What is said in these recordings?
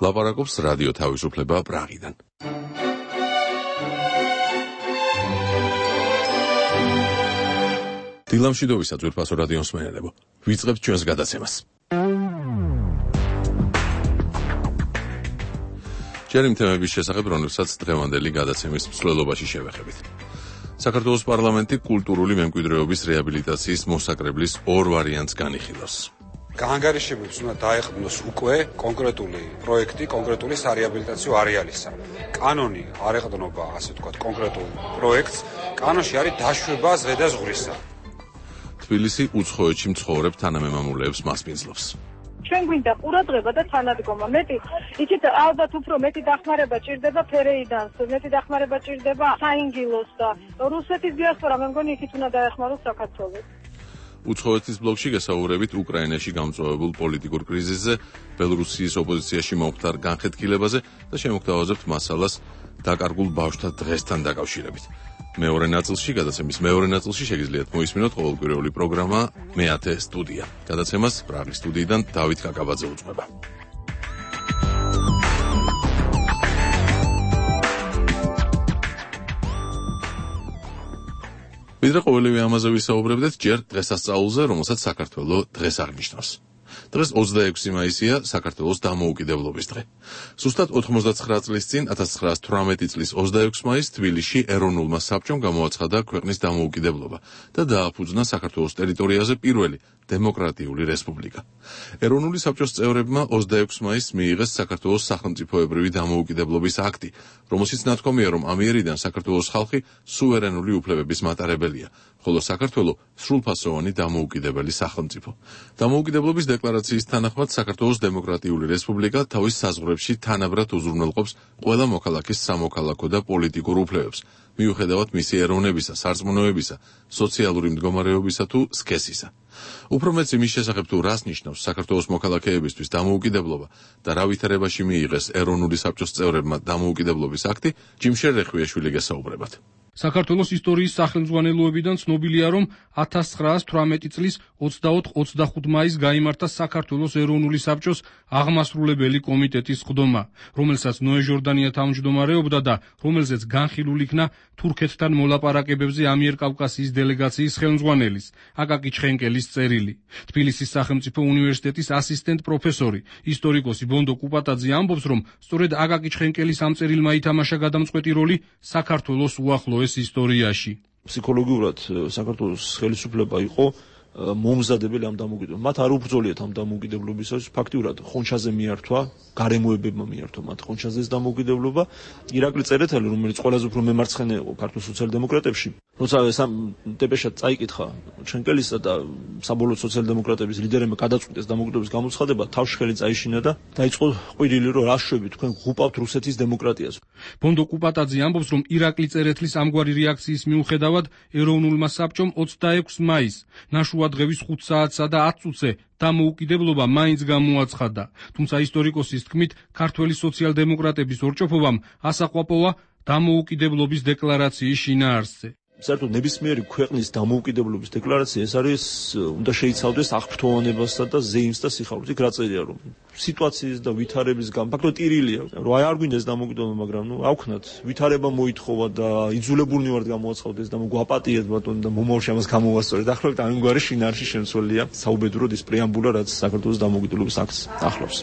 ლაპარაკობს რადიო თავისუფლება პრაღიდან. დილამშვიდობისა ძვირფასო რადიოს მსმენელებო. ვიწყებთ ჩვენს გადაცემას. ჯერ იმ თემების შესახებ, რომელსაც დღევანდელი გადაცემის მსვლელობაში შევეხებით. საქართველოს პარლამენტი კულტურული მემკვიდრეობის რეაბილიტაციის მოსაკრებლის ორ ვარიანტს განიხილავს. გაანგარიშებებს უნდა დაეხმოს უკვე კონკრეტული პროექტი, კონკრეტული სარეაბილიტაციო არეალისა. კანონი არ ეყრდნობა, ასე ვთქვათ, კონკრეტულ პროექტს. კანონში არის დაშვება ზღედა ზღვრისა. თბილისი უცხოეთში მცხოვრებ თანამემამულეებს მასპინძლობს. ჩვენ გვინდა ყურადღება და თანადგომა. მეტი, იცით, ალბათ უფრო მეტი დახმარება ჭირდება ფერეიდანს, მეტი დახმარება ჭირდება საინგილოს და რუსეთის დიასპორა, მე მგონი იქით უნდა დაეხმაროს საქართველოს. უცხოეთის ბლოკში გასაუბრებით უკრაინაში გამწვავებულ პოლიტიკურ კრიზისზე, ბელორუსიის ოპოზიციაში მომხდარ განხეთქილებაზე და შემოგთავაზებთ მასალას დაკარგულ ბავშვთა დღესთან დაკავშირებით. გადაცემის მეორე ნაწილში შეგიძლიათ მოისმინოთ ყოველკვირეული პროგრამა მეათე სტუდია. გადაცემას პრაღის სტუდიიდან დავით კაკაბაძე უძღვება. ვიდრე ყოველივე ამაზე ვისაუბრებდეთ, ჯერ დღესასწაულზე, რომელსაც საქართველოს დღეს აღნიშნავს. დღეს 26 მაისია, საქართველოს დამოუკიდებლობის დღე. ზუსტად 99 წლის წინ, 1918 წლის 26 მაისს თბილისში ეროვნულმა საბჭომ გამოაცხადა ქვეყნის დამოუკიდებლობა და დააფუძნა საქართველოს ტერიტორიაზე პირველი დემოკრატიული რესპუბლიკა. ეროვნული საბჭოს წევრებმა 26 მაისს მიიღეს საქართველოს სახელმწიფოებრივი დამოუკიდებლობის აქტი, რომელშიც ნათქვამია, რომ ამიერიდან საქართველოს ხალხი სუვერენული უფლებების მატარებელია, ხოლო საქართველო სრულფასოვანი დამოუკიდებელი სახელმწიფო. დამოუკიდებლობის დეკლარაციის თანახმად საქართველოს დემოკრატიული რესპუბლიკა თავის საზღვრებში თანაბრად უზრუნველყოფს ყველა მოქალაქის სამოქალაქო და პოლიტიკურ უფლებებს, მიუხედავად მისი ეროვნებისა, სარწმუნოებისა, სოციალური მდგომარეობისა თუ სქესისა. უფრო მეც იმის შესახებ თუ რას ნიშნავს საქართველოს მოქალაქეებისთვის დამოუკიდებლობა და რა ვითარებაში მიიღეს ეროვნული საბჭოს წევრებმა დამოუკიდებლობის აქტი, ჯიმშერ რეხვიაშვილი გესაუბრებათ. საქართველოს ისტორიის სახელმძღვანელოებიდან ცნობილია, რომ 1918 წლის 24-25 მაისს გაიმართა საქართველოს ეროვნული საბჭოს აღმასრულებელი კომიტეტის სხდომა, რომელსაც ნოე ჟორდანია თავმჯდომარეობდა და რომელზეც განხილულ იქნა თურქეთთან მოლაპარაკებებზე ამიერკავკასიის დელეგაციის ხელმძღვანელის, აკაკი ჩხენკელის წერილი. თბილისის სახელმწიფო უნივერსიტეტის ასისტენტ პროფესორი, ისტორიკოსი ბონდო კუპატაძე ამბობს, რომ სწორედ აკაკი ჩხენკელის ამ წერილმა ითამაშა გადამწყვეტი როლი საქართველოს უახლოეს ისტორიაში. ფსიქოლოგიურად საქართველოს ხელისუფლება იყო მომზადებელი ამ დამოუკიდებლობამ. მათ არ უბრძოლიათ ამ დამოუკიდებლობისას, ფაქტიურად ხონჩაზე მიართვა, გარემოებებმა მიართვა მათ ხონჩაზეს დამოუკიდებლობა. ირაკლი წერეთელი, რომელიც ყველაზე უფრო მემარცხენე იყო ქართულ სოციალ-დემოკრატებში, როცა დეპეშად წაიკითხა ჩენკელისა და საბოლოო სოციალ-დემოკრატების ლიდერებმა გადაწყვიტეს დამოუკიდებლობის გამოცხადება, თავშხელი წაიშინა და დაიწყო ყვირილი, რომ რა შვებით, თქვენ ღუპავთ რუსეთის დემოკრატიას. ბონდო კუპატაძე ამბობს, რომ ირაკლი წერეთლის ამგვარი რეაქციის მიუხედავად ეროვნულმა საბჭომ 26 მაისს ნაშუადღევის 5 საათსა და 10 წუთზე დამოუკიდებლობა მაინც გამოაცხადა. თუმცა ისტორიკოსის თქმით, ქართველი სოციალ-დემოკრატების ორჭოფობამ ასაყვაპოვა დამოუკიდებლობის დეკლარაციის შინაარსზე. საერთოდ ნებისმიერი ქვეყნის დამოუკიდებლობის დეკლარაცია ეს არის უნდა შეიცავდეს აღფრთოვანებასა და ზეიმს და სიხარულს. იქ რა წერია, რომ სიტუაციის და ვითარების ფაქტობრივად ტირილია. რომ არ გვინდეს დამოუკიდებლობა, მაგრამ ავქნათ, ვითარება მოითხოვა და იძულებულნი ვართ გამოაცხადოთ და გვაპატიეთ ბატონო და მომავალში ამას გამოვასწორეთ. ახლავთ ამგვარი შინაარსი შემცველია საუბედუროდ ის პრეამბულა, რაც საქართველოს დამოუკიდებლობის აქტს ახლავს.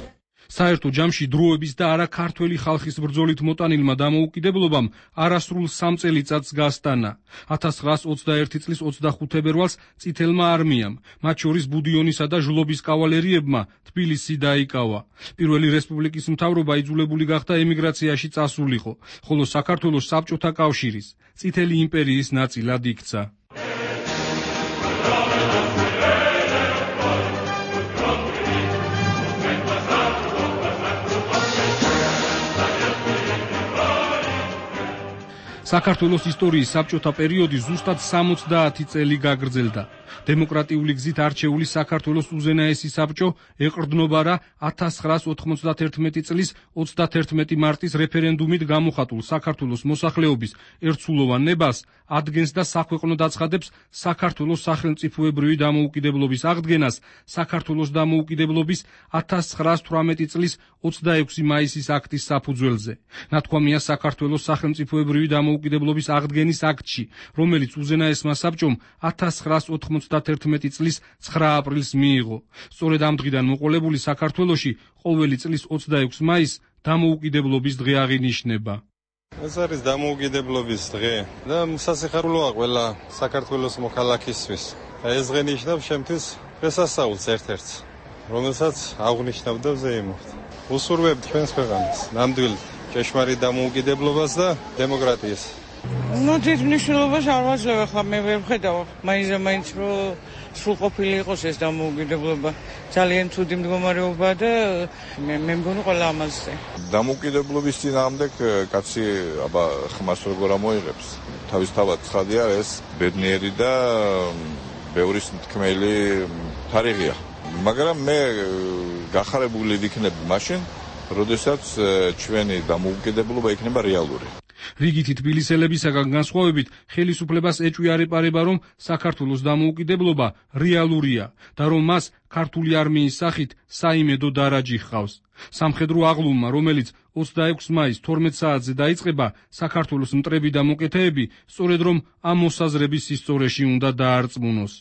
საერთო ჯამში დროების და არა ქართველი ხალხის ბრძოლით მოტანილმა დამოუკიდებლობამ არასრულ 3 წელიწადს გასტანა. 1921 წლის 25 თებერვალს წითელმა არმიამ, მათ შორის ბუდიონისა და ჟლობის კავალერიებმა თბილისი დაიკავა. პირველი რესპუბლიკის მთავრობა იძულებული გახდა ემიგრაციაში წასულიყო, ხოლო საქართველოს საბჭოთა კავშირის, წითელი იმპერიის ნაწილად იქცა. საქართველოს ისტორიის საბჭოთა პერიოდი ზუსტად 70 წელი გაგრძელდა. დემოკრატიული გზით არჩეული საქართველოს უზენაესი საბჭო ეყრდნობა რა 1991 წლის 31 მარტის რეფერენდუმით გამოხატულ საქართველოს მოსახლეობის ერთსულოვან ნებას ადგენს და საქვეყნო დაცხადებს საქართველოს სახელმწიფოებრივი დამოუკიდებლობის აღდგენას საქართველოს დამოუკიდებლობის 1918 წლის 26 მაისის აქტის საფუძველზე. ნათქვამია საქართველოს სახელმწიფოებრივი დამოუკიდებლობის აღდგენის აქტში, რომელიც უზენაესმა საბჭომ 1991 წლის 9 აპრილს მიიღო. სწორედ ამ დღიდან მოყოლებული საქართველოში ყოველი წლის 26 მაისს დამოუკიდებლობის დღე აღინიშნება. ეს არის დამოუკიდებლობის დღე და სასიხარულოა ყველა საქართველოს მოქალაქისთვის. ეს დღე ნიშნავს შემთხვევით დღესასწაულს ერთ-ერთს, რომელსაც აღნიშნავდა ზეიმოვი. უსურვებთ ჩვენს ქვეყანას, ნამდვილ ჭეშმარიტ დამოუკიდებლობას და დემოკრატიას. დიდ მნიშვნელობას არ ვაძლევ, ახლა მე ვერ ვხედავ, მაინც რომ სრულყოფილი იყოს ეს დამოუკიდებლობა. ძალიან ცუდი მდგომარეობა და მე მგონი ყველა ამაზე. დამოუკიდებლობის წინააღმდეგ კაცი აბა ხმას როგორ ამოიღებს. თავისთავად ცხადია ეს ბედნიერი და ბევრი თქმელი თარიღია. მაგრამ მე გახარებული ვიქნებ მაშინ, როდესაც ჩვენი დამოუკიდებლობა იქნება რეალური. რიგითი თბილისელებისაგან განსხვავებით ხელისუფლებას ეჭვიარება, რომ საქართველოს დამოუკიდებლობა რეალურია და რომ მას ქართული არმიის სახით საიმედო დარაჯი ჰყავს. სამხედრო აღლუმმა, რომელიც 26 მაისს 12 საათზე დაიწყება, საქართველოს მტრები და მოკეთეები სწორედ რომ ამ მოსაზრების სისწორეში უნდა დაარწმუნოს.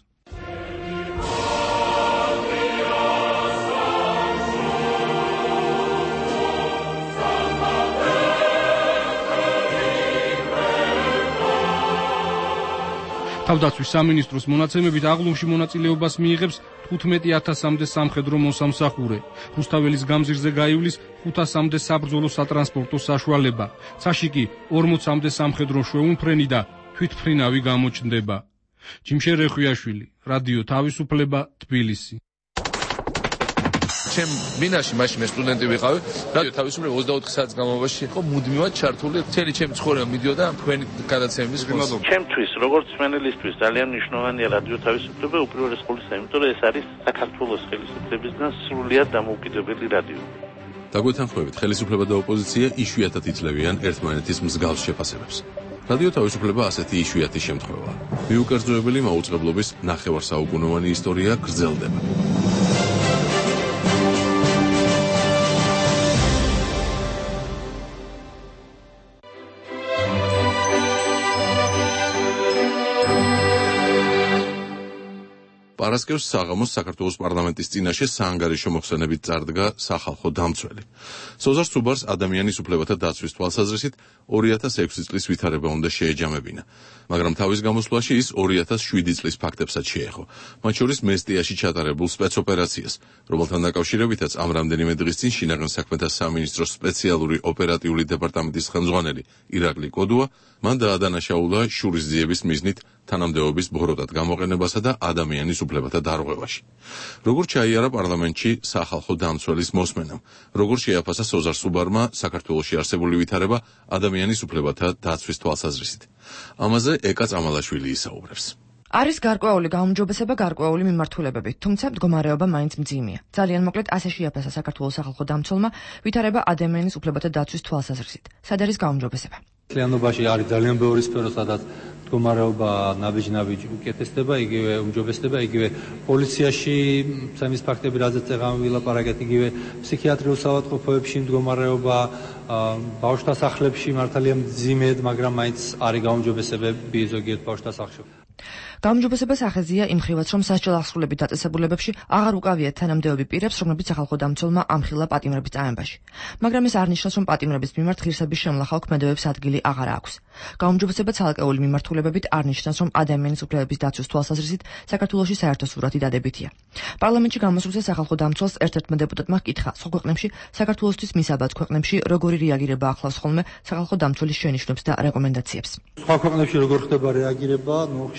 თავდაცვის სამინისტროს მონაცემებით აღლუმში მონაწილეობას მიიღებს 15,000-მდე სამხედრო მოსამსახურე. რუსთაველის გამზირზე გაივლის 500-მდე საბრძოლო სატრანსპორტო საშუალება. ცაში კი 40-მდე სამხედრო მშვეულმფრენი და თვითმფრინავი გამოჩნდება. ჯიმშე რეხვიაშვილი, რადიო თავისუფლება, თბილისი. ჩემ მინაში მაშინ მე სტუდენტი ვიყავი, რადიო თავისუფლება 24 საათის განმავლობაში იყო მუდმივად ჩართული, მთელი ჩემი ცხოვრება მიდიოდა თქვენი გადაცემების ხმას. ჩემთვის, როგორც მენელისთვის, ძალიან მნიშვნელოვანია რადიო თავისუფლება უპირველეს ყოვლისა, იმიტომ რომ ეს არის საქართველოს ხელისუფლებისგან სრულიად დამოუკიდებელი რადიო. დაგვეთანხმებით, ხელისუფლება და ოპოზიცია იშვიათად იძლევიან ერთმანეთის მსგავს შეფასებებს. რადიო თავისუფლება ასეთი იშვიათი შემთხვევაა. მიუკერძოებელი მაუწყებლობის ნახევარსაუკუნოვანი ისტორია გრძელდება. პარასკევს საღამოს საქართველოს პარლამენტის წინაშე საანგარიშო მოხსენებით წარდგა სახალხო დამცველი. სოზარ სუბარს ადამიანის უფლებათა დაცვის თვალსაზრისით 2006 წლის ვითარება უნდა შეეჯამებინა, მაგრამ თავის გამოსვლაში ის 2007 წლის ფაქტებსაც შეეხო, მათ შორის მესტიაში ჩატარებულ სპეცოპერაციას, რომელთან დაკავშირებითაც ამ რამდენიმე დღის წინ შინაგან საქმეთა სამინისტროს სპეციალური ოპერატიული დეპარტამენტის ხელმძღვანელი ირაკლი კოდუა მან დაადანაშაულა შურისძიების მიზნით თანამდებობის ბოროტად გამოყენებასა და ადამიანის უფლებათა დარღვევაში. როგორ ჩაიარა პარლამენტში სახალხო დამცველის მოსმენამ, როგორ შეაფასა სოზარ სუბარმა საქართველოში არსებული ვითარება ადამიანის უფლებათა დაცვის თვალსაზრისით. ამაზე ეკა წამალაშვილი ისაუბრებს. არის გარკვეული გაუმჯობესება, გარკვეული მიმართულებები, თუმცა მდგომარეობა მაინც მძიმეა. ძალიან მოკლედ ასე შეაფასა საქართველოს სახალხო დამცველმა ვითარება ადამიანის უფლებათა დაცვის თვალსაზრისით. სად არის გაუმჯობესება? მთლიანობაში არის ძალიან ბევრი სფერო, სადაც მდგომარეობა ნაბიჯ-ნაბიჯ უკეთესდება, იგივე უმჯობესდება, იგივე პოლიციაში ცემის ფაქტები, რაზეც წეგამი ვილაპარაკეთ, იგივე ფსიქიატრიულ საავადმყოფოებში მდგომარეობა, ბავშვთა სახლებში მართალია მძიმედ, მაგრამ მაინც არის გაუმჯობესებები ზოგიერთ ბავშვთა სახლში. გაუმჯობესებას ახეზია იმ ხრივაც, რომ სასჯელ აღსრულებით დაწესებულებებში აღარ უკავიათ თანამდებობები პირებს, რომლებიც სახალხო დამცველმა ამხილა პატიმრების წამებაში. მაგრამ ეს არ ნიშნავს, რომ პატიმრების მიმართ ღირსების შემლახავ ქმედებებს ადგილი აღარ აქვს. გაუმჯობესება ცალკეული მიმართულებებით არ ნიშნავს, რომ ადამიანის უფლებების დაცვის თვალსაზრისით საქართველოში საერთო სურათი დადებითია. პარლამენტში გამოსვლაზე სახალხო დამცველს ერთ-ერთმა დეპუტატმა ჰკითხა, სხვა ქვეყნებში საქართველოსთვის მისაბად ქვეყნებში როგორი რეაგირება ახლავს ხოლმე სახალხო დამცველის შენიშვნებს და რეკომენდაციებს. სხვა ქვეყნებში როგორ ხდება რეაგირება,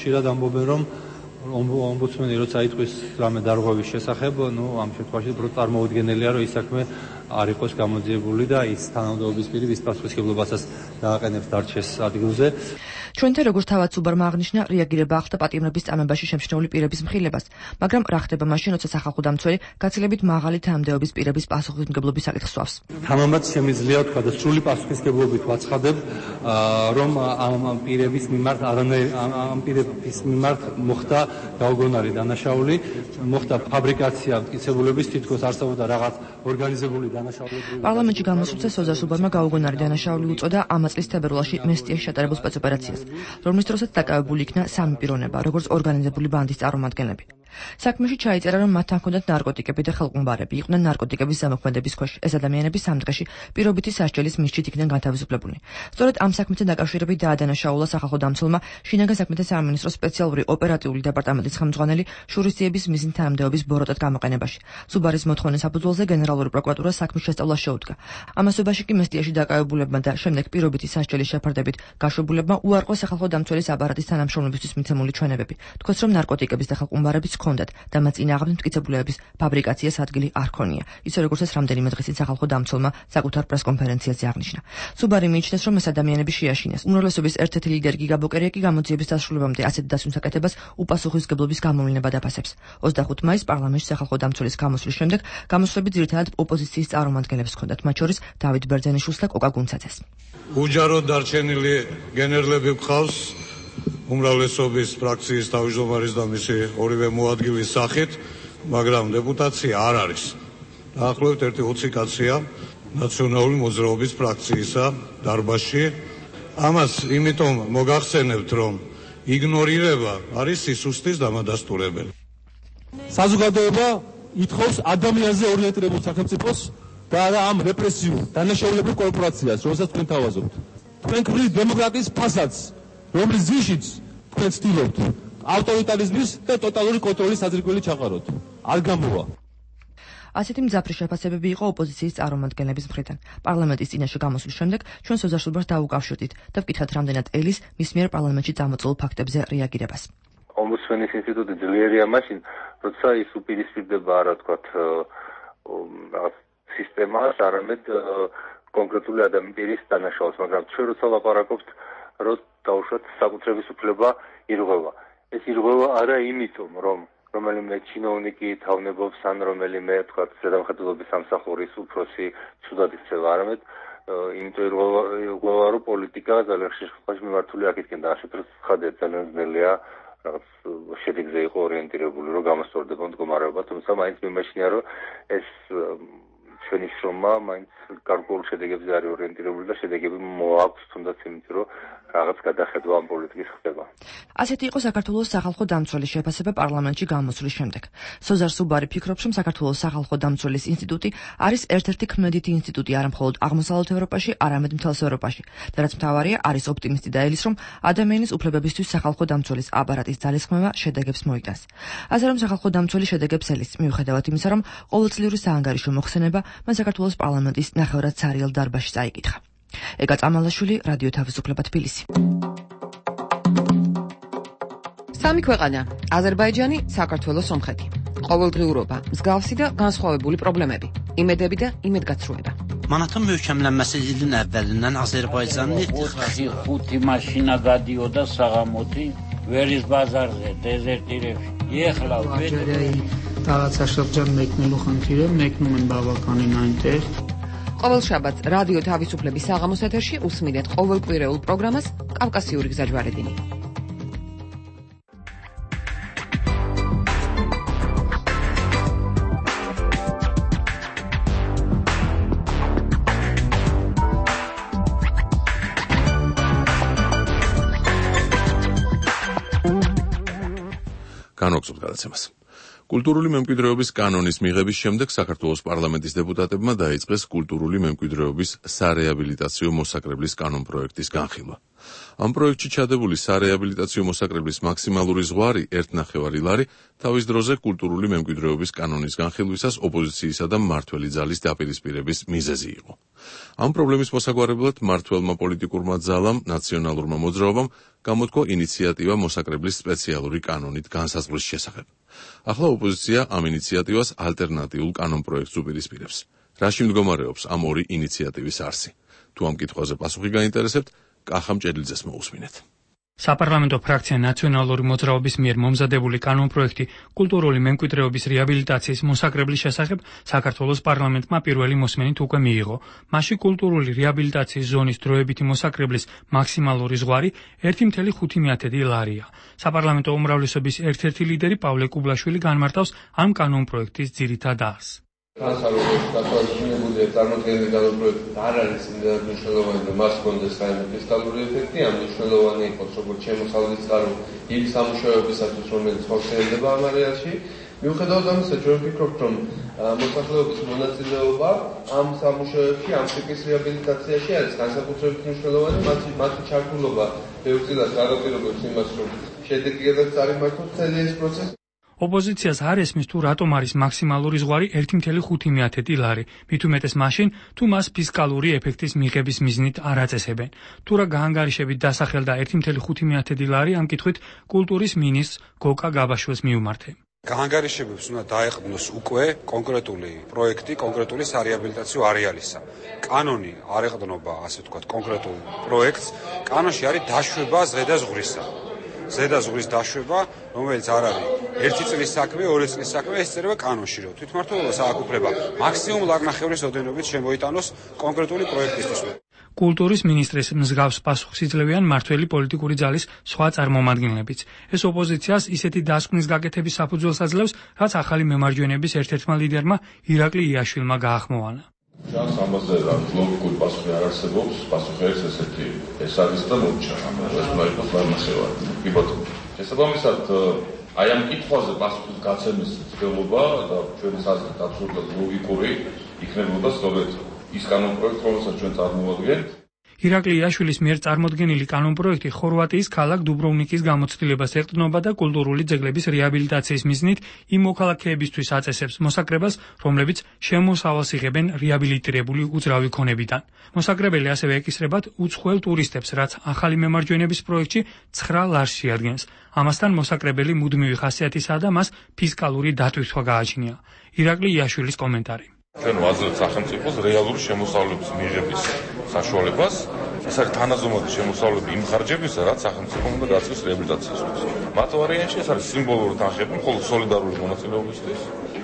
ხშირად ამბობენ, რომ ომბუდსმენი როცა იტყვის რამე დარღვევის შესახებ, ამ შემთხვევაში უფრო წარმოუდგენელია, რომ ის საქმე არ იყოს გამოძიებული და ის თანამდებობის პირი ვის პასუხისმგებლობასაც დააყენებს დარჩეს ადგილზე. ჩვენთან როგორც თავად სუბარმა აღნიშნა, რეაგირება ახდა პატიმრების წამებაში შემჩნეული პირების მხილებას, მაგრამ რა ხდება მაშინ, როცა სახალხო დამცველი გაცილებით მაღალი თანამდებობის პირების პასუხისმგებლობის საკითხს სვავს. თამამად შემიძლია თქვა და სრული პასუხისმგებლობით ვაცხადებ, რომ ამ პირების მიმართ მოხდა გაუგონარი დანაშაული, მოხდა ფაბრიკაცია მტკიცებულების, თითქოს არსებობდა რაღაც ორგანიზებული დანაშაულებრივი. პარლამენტში გამოსულთა სოზარ სუბარმა გაუგონარი დანაშაული უწოდა ამ წლის თებერვალში მესტიაში ჩატარებულ სპეცოპერაციას, რომლის დროსაც დაკავებული იქნა სამი პიროვნება, როგორც ორგანიზებული ბანდის წარმომადგენლები. საქმეში ჩაიწერა, რომ მათთან ჰქონდათ ნარკოტიკები და ხელყუმბარები, იყვნენ ნარკოტიკების ზემოქმედების ქვეშ. ეს ადამიანები სამ დღეში პირობითი სასჯელის მისჯით იქნენ განთავისუფლებული. სწორედ ამ საქმეთან დაკავშირებით დაადანაშაულა სახალხო დამცველმა შინაგან საქმეთა სამინისტროს სპეციალური ოპერატიული დეპარტამენტის ხელმძღვანელი შურისძიების მიზნით თანამდებობის ბოროტად გამოყენებაში. სუბარის მოთხოვნის საფუძველზე გენერალური პროკურატურა საქმის შესწავლა შეუდგა. ამასობაში კი მესტიაში დაკავებულებმა და შემდეგ პირობითი სასჯელის შეფარდებით გაშვებულებმა უარყო სახალხო დამცველის აპარატის თანამშრომლობისთვის მიცემული ჩვენებები. თქვეს, რომ ნარკოტიკების და ხელყუმბარების ჰქონდათ და მათ წინააღმდეგ მტკიცებულებების ფაბრიკაციას ადგილი არ ქონია. ისე როგორც ეს რამდენიმე დღის წინ სახალხო დამცველმა საკუთარ პრესკონფერენციაზე აღნიშნა. სუბარი მიიჩნევს, რომ ეს ადამიანები შეაშინეს. უმრავლესობის ერთ-ერთი ლიდერი გიგა ბოკერია კი გამოძიების დასრულებამდე ასეთ დასვნის საკეთებას უპასუხისმგებლობის გამოვლინება დაფასებს. 25 მაისს პარლამენტში სახალხო დამცველის გამოსვლის შემდეგ გამოსვლები ძირითადად ოპოზიციის წარმომადგენლებს ჰქონდათ, მათ შორის დავით ბერძენიშვილს და კოკა გუნცაძეს. უჯაროდ დარჩენილი გენერლები გყავს უმრავლესობის ფრაქციის თავმჯდომარის და მისი ორივე მოადგილის სახით, მაგრამ დეპუტაცია არ არის. დაახლოებით 20 კაცია ნაციონალური მოძრაობის ფრაქციისა დარბაზში. ამას იმიტომ მოგახსენებთ, რომ იგნორირება არის სისუსტის დამადასტურებელი. საზოგადოება ითხოვს ადამიანზე ორიენტირებულ სახელმწიფოს და არა ამ რეპრესიულ დანაშაულებრივ კორპორაციას, რომელსაც თქვენ თავაზობთ. თქვენ ქმნით დემოკრატიის ფასადს, რომლის ძირშიც თქვენ ცდილობთ ავტორიტარიზმის და ტოტალური კონტროლის საძირკველი ჩაყაროთ. არ გამოვა. ასეთი მძაფრი შეფასებები იყო ოპოზიციის წარმომადგენლების მხრიდან. პარლამენტის წინაშე გამოსვლის შემდეგ ჩვენ სოზარ სუბარს დაუკავშირდით და ვკითხეთ რამდენად ელის მის მიერ პარლამენტში წამოწეულ ფაქტებზე რეაგირებას. ომბუდსმენის ინსტიტუტი ძლიერია მაშინ, როცა ის უპირისპირდება რა თქვათ სისტემას, არამედ კონკრეტული ადამიანის დანაშაულს, მაგრამ ჩვენ როცა ლაპარაკობთ, რომ დაუშვათ საკუთრების უფლება ირღვევა. ეს ირღვევა არა იმიტომ, რომ რომელიმე ჩინოვნიკი თავნებობს ან რომელიმე თქვათ ზედამხედველობის სამსახურის უფროსი ცუდად იქცევა, არამედ იმიტომ ირღვევა, რომ პოლიტიკა ძალიან ხშირ შემთხვევაში მიმართული აქეთკენ და ასეთ დროს ხადია ძალიან ძნელია რაღაც შედეგზე იყო ორიენტირებული, რომ გამოსწორდება მდგომარეობა, თუმცა მაინც მიმაჩნია, რომ ეს ჩვენი შრომა მაინც გარკვეულ შედეგებზე არის ორიენტირებული და შედეგები მოაქვს თუნდაც იმიტომ, რომ რაღაც გადახედვა ამ პოლიტიკის ხდება. ასეთი იყო საქართველოს სახალხო დამცველის შეფასება პარლამენტში გამოსვლის შემდეგ. სოზარ სუბარი ფიქრობს, რომ საქართველოს სახალხო დამცველის ინსტიტუტი არის ერთ-ერთი ქმედითი ინსტიტუტი არა მხოლოდ აღმოსავლეთ ევროპაში, არამედ მთელს ევროპაში. და რაც მთავარია, არის ოპტიმისტი და ელის, რომ ადამიანის უფლებებისთვის სახალხო დამცველის აპარატის ძალისხმევა შედეგებს მოიტანს. ასე რომ სახალხო დამცველი შედეგებს ელის, მიუხედავად იმისა, რომ ყოველწლიური საანგარიშო მოხსენება მან საქართველოს პარლამენტის ნახევრად ცარიელ დარბაზში წაიკითხა. ეგა წამალაშვილი, რადიო თავისუფლება თბილისი. სამი ქვეყანა: აზერბაიჯანი, საქართველო, სომხეთი. ყოველდღიურობა, მსგავსი და განსხვავებული პრობლემები, იმედები და იმედგაცრუება. მანათა möhkəmlənməsi ilin əvvəlindən Azərbaycanın 5 maşina გადიოდა საღამოთი ვერის ბაზარზე, დეზერტირებში. ეხლა რაღაცა შրջან მეკნելու ხანქირე, მეკնում են բավականին այնտեղ. ყოველ შაბათს რადიო თავისუფლების საღამოს ეთერში უსმინეთ ყოველკვირეულ პროგრამას კავკასიური გზაჯვარედინი. განვაგრძობთ გადაცემას. კულტურული მემკვიდრეობის კანონის მიღების შემდეგ საქართველოს პარლამენტის დეპუტატებმა დაიწყეს კულტურული მემკვიდრეობის სარეაბილიტაციო მოსაკრებლის კანონპროექტის განხილვა. ამ პროექტში ჩადებული სარეაბილიტაციო მოსაკრებლის მაქსიმალური ზღვარი 1,5 ლარი თავის დროზე კულტურული მემკვიდრეობის კანონის განხილვისას ოპოზიციისა და მმართველი ძალის დაპირისპირების მიზეზი იყო. ამ პრობლემის მოსაგვარებლად მმართველმა პოლიტიკურმა ძალამ, ნაციონალურმა მოძრაობამ გამოთქვა ინიციატივა მოსაკრებლის სპეციალური კანონით განსაზღვრის შესახებ. ახლა ოპოზიცია ამ ინიციატივას ალტერნატიულ კანონპროექტს უპირისპირებს. რაში მდგომარეობს ამ ორი ინიციატივის არსი? თუ ამ კითხვაზე პასუხი გაინტერესებთ, კახამ ჭედლიძეს მოусმინეთ. საპარლამენტო ფრაქცია ნაციონალური მოძრაობის მიერ მომზადებული კანონპროექტი კულტურული მემკვიდრეობის რეაბილიტაციის მოსაკრებლის შესახებ საქართველოს პარლამენტმა პირველი მოსმენით უკვე მიიღო. მასში კულტურული რეაბილიტაციის ზონის დროებითი მოსაკრებლის მაქსიმალური ზღვარი 1,5 ლარია. საპარლამენტო უმრავლესობის ერთ-ერთი ლიდერი პავლე კუბლაშვილი განმარტავს ამ კანონპროექტის ძირითად აზრს. განსაკუთრებული წარმოქმნილი კანონპროექტი არ არის იმდენად მნიშვნელოვანი, რომ მას ჰქონდეს რაიმე ფისკალური ეფექტი, ამ მნიშვნელოვანი იყოს როგორც შემოსავლის წყარო იმ სამუშაოებისათვის, რომელიც ხორციელდება ამ არეალში. მიუხედავად ამისა, ჩვენ ვფიქრობთ, რომ მოსახლეობის მონაწილეობა ამ სამუშაოებში, ამ ტიპის რეაბილიტაციაში არის განსაკუთრებით მნიშვნელოვანი, მათი ჩართულობა ბევრწილად განაპირობებს იმას, რომ შედეგი გადაც წარიმართოს მთელი ეს პროცესი. ოპოზიციას არ ესმის თუ რატომ არის მაქსიმალური ზღვარი 1,5 ლარი, მით უმეტეს მაშინ, თუ მას ფისკალური ეფექტის მიღების მიზნით არ აწესებენ. თუ რა გაანგარიშებით დასახელდა 1,5 ლარი, ამ კითხვით კულტურის მინისტრს გოკა გაბაშვილს მიუმართე. გაანგარიშებებს უნდა დაეყრდნოს უკვე კონკრეტული პროექტი, კონკრეტული სარეაბილიტაციო არეალისა. კანონი არ ეყრდნობა, ასე ვთქვათ, კონკრეტულ პროექტს. კანონში არის დაშვება ზღუდაზღვრისა. ზღუდაზღვრის დაშვება, რომელიც არ არის 1 წლის საქმე, 2 წლის საქმე, ეს წერება კანონში, რომ თვითმმართველობას ააკუფლება მაქსიმუმ ლაგნახევრის ოდენობით შემოიტანოს კონკრეტული პროექტისთვის. კულტურის მინისტრის მსგავს პასუხს იძლევიან მმართველი პოლიტიკური ძალის სხვა წარმომადგენლებიც. ეს ოპოზიციას ისეთი დასკვნის გაკეთების საფუძველს აძლევს, რაც ახალი მემარჯვენეების ერთ-ერთმა ლიდერმა ირაკლი იაშვილმა გაახმოვანა. ჩანს ამაზე რა ლოგიკური პასუხი არ არსებობს, პასუხი არის ესეთი, ეს არის და მომჩა, ეს უნდა იყოს ლაგნახევარი. კი ბატონო. შესაბამისად, აი ამ კითხვაზე პასუხის გაცემის ცდილობა და ჩვენი აზრით აბსოლუტურად ლოგიკური იქნებოდა სწორედ ის კანონპროექტი, რომელსაც ჩვენ წარმოვადგენთ. ირაკლი იაშვილის მიერ წარმოდგენილი კანონპროექტი ხორვატიის ქალაქ დუბროვნიკის გამოცდილებას ეყრდნობა და კულტურული ძეგლების რეაბილიტაციის მიზნით იმ მოქალაქეებისთვის აწესებს მოსაკრებას, რომლებიც შემოსავალს იღებენ რეაბილიტირებული უძრავი ქონებიდან. მოსაკრებელი ასევე ეკისრებათ უცხოელ ტურისტებს, რაც ახალი მემარჯვენების პროექტში 9 ლარს შეადგენს. ამასთან მოსაკრებელი მუდმივი ხასიათისაა და მას ფისკალური დატვირთვა გააჩნია. ირაკლი იაშვილის კომენტარი. ჩვენ ვაძლევთ სახელმწიფოს რეალური შემოსავლების მიღების საშუალებას. ეს არის თანაზომადი შემოსავლები იმ ხარჯებისა, რაც სახელმწიფომ უნდა გაწევს რეაბილიტაციისთვის. მათ ვარიანტში ეს არის სიმბოლური თანხები, მხოლოდ სოლიდარული მონაწილეობისთვის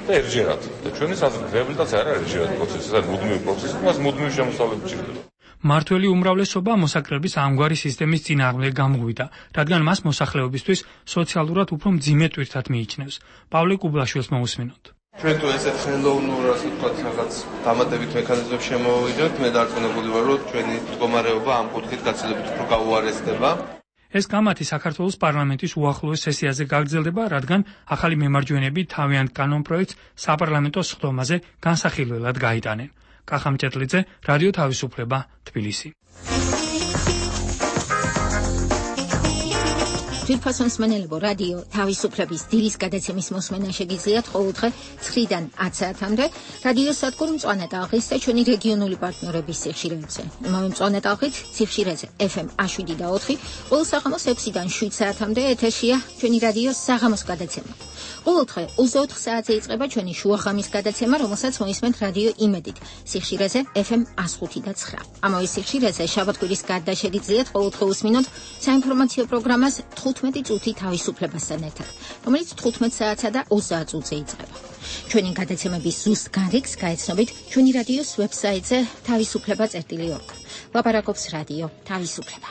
და ერთჯერად. და ჩვენი აზრით რეაბილიტაცია არ არის ერთჯერადი პროცესი, ეს არის მუდმივი პროცესი, მას მუდმივი შემოსავლები ჭირდება. მმართველი უმრავლესობა მოსაკრების ამგვარი სისტემის წინააღმდეგ გამღვიდა, რადგან მას მოსახლეობისთვის სოციალურად უფრო მძიმე ტვირთად მიიჩნევს. პავლე კუბლაშვილს მოусმინოთ. ჩვენ თუ ესეთ ხელოვნურ, ასე ვთქვათ, რაღაც დამატებით მექანიზმებს შემოვიდგენთ, მე დარწმუნებული ვარ, რომ ჩვენი მდგომარეობა ამ კუთხით გაცილებით უფრო გაუარესდება. ეს კამათი საქართველოს პარლამენტის უახლოეს სესიაზე გაგრძელდება, რადგან ახალი მემარჯვენეები თავიანთ კანონპროექტს საპარლამენტო სხდომაზე განსახილველად გაიტანენ. კახამ ჭედლიძე, რადიო თავისუფლება, თბილისი. თვითფასონ მსმენელებო, რადიო თავისუფლების დილის გადაცემის მოსმენა შეგიძლიათ ყოველდღე 9-დან 10 საათამდე რადიო სადგურ მწვანე ტალღის და ჩვენი რეგიონული პარტნიორების სიხშირეებზე. იმავე მწვანე ტალღით სიხშირეზე FM 7 ყოველ საღამოს 6-დან 7 საათამდე ეთერშია ჩვენი რადიო საღამოს გადაცემა. ყოველდღე 24 საათზე იწყება ჩვენი შუახამის გადაცემა, რომელსაც მოისმენთ რადიო იმედით სიხშირეზე FM 105.9. ამავე სიხშირეზე შაბათ-კვირის გარდა შეგიძლიათ ყოველდღე უსმინოთ საინფორმაციო პროგრამას 15 წუთი თავისუფლებასთან ერთად, რომელიც 15 საათსა და 30 წუთზე იწყება. ჩვენი გადაცემების ზუსტ განრიგს გაეცნობით ჩვენი რადიოს ვებსაიტზე თავისუფლება.org. ლაპარაკობს რადიო თავისუფლება.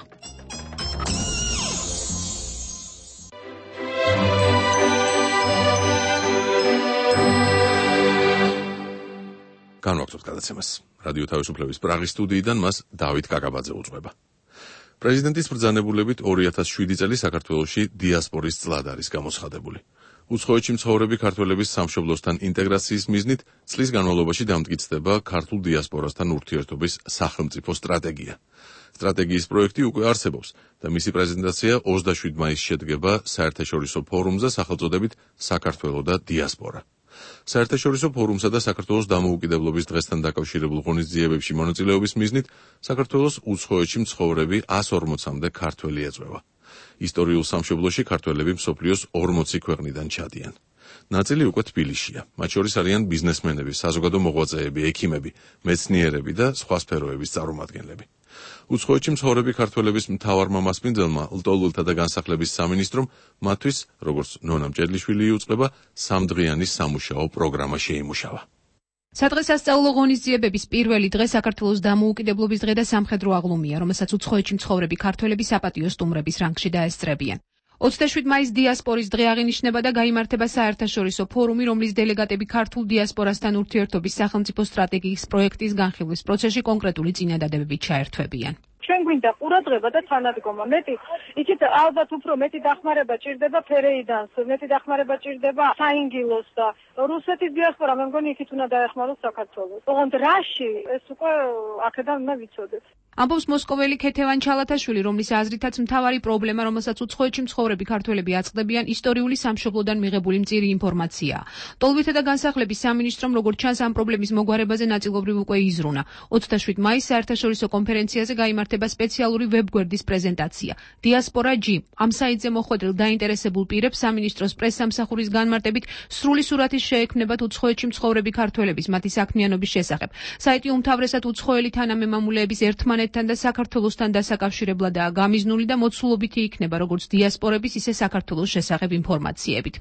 განვაგრძობთ გადაცემას. რადიო თავისუფლების პრაღის სტუდიიდან მას დავით კაკაბაძე უძღვება. პრეზიდენტის ბრძანებულებით 2007 წელი საქართველოში დიასპორის წლად არის გამოცხადებული. უცხოეთში მცხოვრები ქართველების სამშობლოსთან ინტეგრაციის მიზნით წლის განმავლობაში დამტკიცდება ქართულ დიასპორასთან ურთიერთობის სახელმწიფო სტრატეგია. სტრატეგიის პროექტი უკვე არსებობს და მისი პრეზენტაცია 27 მაისს შედგება საერთაშორისო ფორუმზე სახელწოდებით საქართველო და დიასპორა. საერთაშორისო ფორუმსა და საქართველოს დამოუკიდებლობის დღესთან დაკავშირებულ ღონისძიებებში მონაწილეობის მიზნით საქართველოს უცხოეთში მცხოვრები 140-მდე ქართველი ეწვევა. ისტორიულ სამშობლოში ქართველები მსოფლიოს 40 ქვეყნიდან ჩადიან. ნაწილი უკვე თბილისშია. მათ შორის არიან ბიზნესმენები, საზოგადო მოღვაწეები, ექიმები, მეცნიერები და სხვა სფეროების წარმომადგენლები. უცხოეთში მცხოვრები ქართველების მთავარმა მასპინძელმა ლტოლვილთა და განსახლების სამინისტრომ მათთვის, როგორც ნონა მჭედლიშვილი იუწყება, სამდღიანი სამუშაო პროგრამა შეიმუშავა. სადღესასწაულო ღონისძიებების პირველი დღე საქართველოს დამოუკიდებლობის დღე და სამხედრო აღლუმია, რომელსაც უცხოეთში მცხოვრები ქართველები საპატიო სტუმრების რანგში დაესწრებიან. 27 მაის დიასპორის დღე აღინიშნება და გაიმართება საერთაშორისო ფორუმი, რომლის დელეგატები ქართულ დიასპორასთან ურთიერთობის სახელმწიფო სტრატეგიის პროექტის განხილვის პროცესში კონკრეტული წინადადებებით ჩაერთვებიან. ჩვენ გვინდა ყურადღება და თანადგომა. მეტი, იცით, ალბათ უფრო მეტი დახმარება ჭირდება ფერეიდანს, მეტი დახმარება ჭირდება საინგილოს და რუსეთის დიასპორა, მე მგონი იქით უნდა დაეხმაროს საქართველოს. ოღონდ რაში ეს უკვე აქედან უნდა ვიცოდეთ. ამბობს მოსკოველი ქეთევან ჩალათაშვილი, რომლის აზრითაც მთავარი პრობლემა, რომელსაც უცხოეთში მცხოვრები ქართველები აწყდებიან, ისტორიული სამშობლოდან მიღებული მწირი ინფორმაციაა. ლტოლვილთა და განსახლების სამინისტრომ, როგორც ჩანს, ამ პრობლემის მოგვარებაზე ნაწილობრივ უკვე იზრუნა. 27 მაისს საერთაშორისო კონფერენციაზე გაიმართება სპეციალური ვებგვერდის პრეზენტაცია. დიასპორა G. ამ საიტზე მოხვედრილ დაინტერესებულ პირებს სამინისტროს პრესსამსახურის განმარტებით სრული სურათი შეექმნებათ უცხოეთში მცხოვრები ქართველების მათი საქმიანობის შესახებ. საიტი უმთავრესად უცხოელი თანამემამულეების ერთმანეთთან და საქართველოსთან დასაკავშირებლადაა გამიზნული და მოცულობითი იქნება როგორც დიასპორების, ისე საქართველოს შესახებ ინფორმაციებით.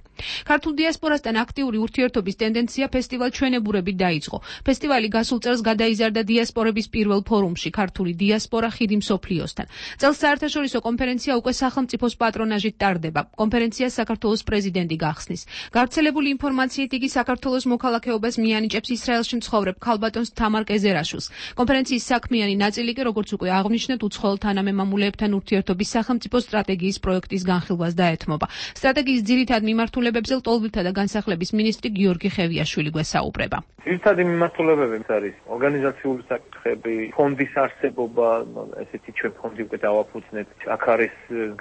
ქართულ დიასპორასთან აქტიური ურთიერთობის ტენდენცია ფესტივალ ჩვენებურებით დაიწყო. ფესტივალი გასულ წელს გადაიზარდა დიასპორების პირველ ფორუმში ქართული დიასპორა ხიდი მსოფლიოსთან. წელს საერთაშორისო კონფერენცია უკვე სახელმწიფოს პატრონაჟით ტარდება. კონფერენციას საქართველოს პრეზიდენტი გახსნის. გავრცელებული ინფორმაციით იგი საქართველოს მოქალაქეობას მიანიჭებს ისრაელში მცხოვრებ ქალბატონს თამარ კეზერაშვილს. კონფერენციის საქმიანი ნაწილი კი, როგორც უკვე აღვნიშნეთ, უცხოელ თანამემამულეებთან ურთიერთობის სახელმწიფო სტრატეგიის პროექტის განხილვას დაეთმობა. სტრატეგიის ძირითად მიმართულებებზე ლტოლვილთა და განსახლების მინისტრი გიორგი ხევიაშვილი გვესაუბრება. ძირითადი მიმართულებები არის ორგანიზაციული საკითხები, ფონდის არსებობა, ესეთი ჩვენ ფონდი უკვე დავაფუძნეთ. აქ არის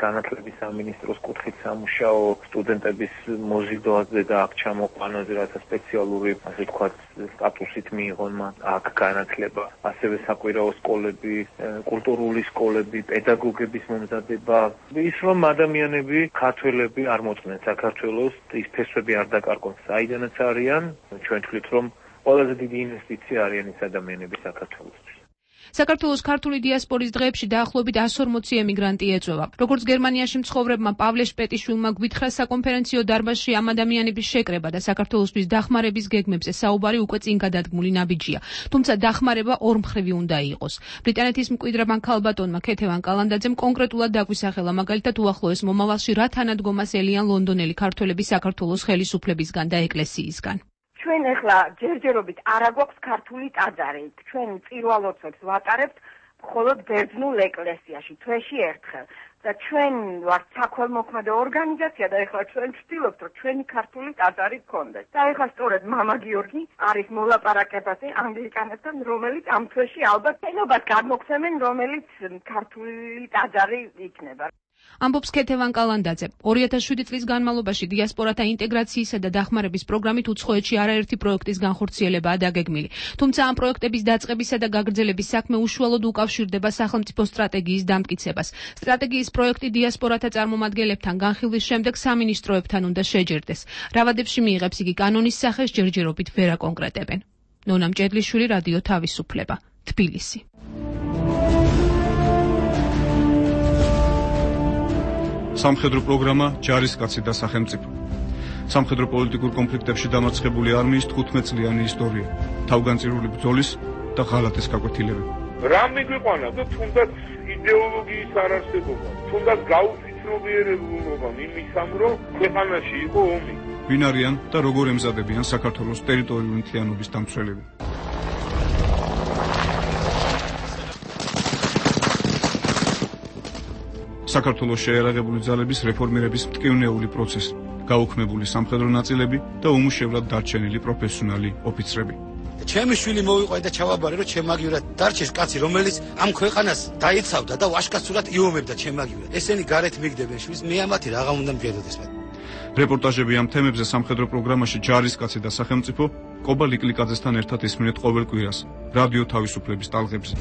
განათლების სამინისტროს კუთხით სამუშაო, სტუდენტების მოზიდვაზე და აქ ჩამოყვანაზე, რათა სპეციალური, ასე ვთქვათ, სტატუსით მიიღონ მათ აქ განათლება, ასევე საკვირაო სკოლები, კულტურული სკოლები, პედაგოგების მომზადება. ის რომ ადამიანები, ქართველები არ მოწმენ საქართველოს, ის ფესვები არ დაკარგონ საიდანაც არიან, ჩვენ თვლით რომ ყველაზე დიდი ინვესტიცია არიან ის ადამიანები საქართველოსთვის. საქართველოს ქართული დიასპორის დღეებში დაახლოებით 140 ემიგრანტი ეწვევა. როგორც გერმანიაში მცხოვრებმა პავლე შპეტიშვილმა გვითხრა, საკონფერენციო დარბაზში ამ ადამიანების შეკრება და საქართველოსთვის დახმარების გეგმებზე საუბარი უკვე წინ გადადგმული ნაბიჯია. თუმცა დახმარება ორმხრივი უნდა იყოს. ბრიტანეთის მკვიდრებმა ქალბატონმა ქეთევან კალანდაძემ კონკრეტულად დაგვისახელა, მაგალითად უახლოეს მომავალში რა თანადგომას ელიან ლონდონელი ქართველები საქართველოს ხელისუფლებისგან და ეკლესიისგან. ჩვენ ახლა ჯერჯერობით არ აგვაქვს ქართული ტაძარი. ჩვენ პირველ ოთებს ვატარებთ მხოლოდ ბერძნულ ეკლესიაში თვეში ერთხელ. და ჩვენ ვართ საქველმოქმედო ორგანიზაცია და ახლა ჩვენ ვცდილობთ, რომ ჩვენი ქართული ტაძარი გქონდეს. და ახლა სწორედ მამა გიორგი არის მოლაპარაკებაზე ანგლიკანებთან, რომელიც ამ თვეში ალბათ შენობას გადმოგცემენ, რომელიც ქართული ტაძარი იქნება. ამბობს ქეთევან კალანდაძე. 2007 წლის განმავლობაში დიასპორათა ინტეგრაციისა და დახმარების პროგრამით უცხოეთში არაერთი პროექტის განხორციელებაა დაგეგმილი. თუმცა ამ პროექტების დაწყებისა და გაგრძელების საქმე უშუალოდ უკავშირდება სახელმწიფო სტრატეგიის დამტკიცებას. სტრატეგიის პროექტი დიასპორათა წარმომადგენლებთან განხილვის შემდეგ სამინისტროებთან უნდა შეჯერდეს. რავადებში მიიღებს იგი კანონის სახეს, ჯერჯერობით ვერ აკონკრეტებენ. ნონა მჭედლიშვილი, რადიო თავისუფლება, თბილისი. სამხედრო პროგრამა ჯარისკაცი და სახელმწიფო. სამხედრო პოლიტიკურ კონფლიქტებში დამარცხებული არმიის 15 წლიანი ისტორია, თავგანწირული ბრძოლის და ღალატის გაკვეთილები. რა მიგვიყვანა და თუნდაც იდეოლოგიის არარსებობა, თუნდაც გაუფიცნობიერებულობა იმისამ, რომ ქვეყანაში იყო ომი. ვინ არიან და როგორ ემზადებიან საქართველოს ტერიტორიული მთლიანობის დამცველები. საქართველოს შეერაღებული ძალების რეფორმირების მტკივნეული პროცესი, გაუქმებული სამხედრო ნაწილები და უმუშევრად დარჩენილი პროფესიონალი ოფიცრები. ჩემი შვილი მოვიყვე და ჩავაბარე, რომ ჩემაგივრად დარჩეს კაცი, რომელიც ამ ქვეყანას დაიცავდა და ვაშკაცურად იომებდა ჩემაგივრად. ესენი გარეთ მიგდებენ შვილს, მე ამათი რაღა უნდა მჯეროდეს მათ. რეპორტაჟები ამ თემებზე სამხედრო პროგრამაში ჯარისკაცი და სახელმწიფო კობა ლიკლიკაძესთან ერთად ისმინეთ ყოველ კვირას რადიო თავისუფლების ტალღებზე.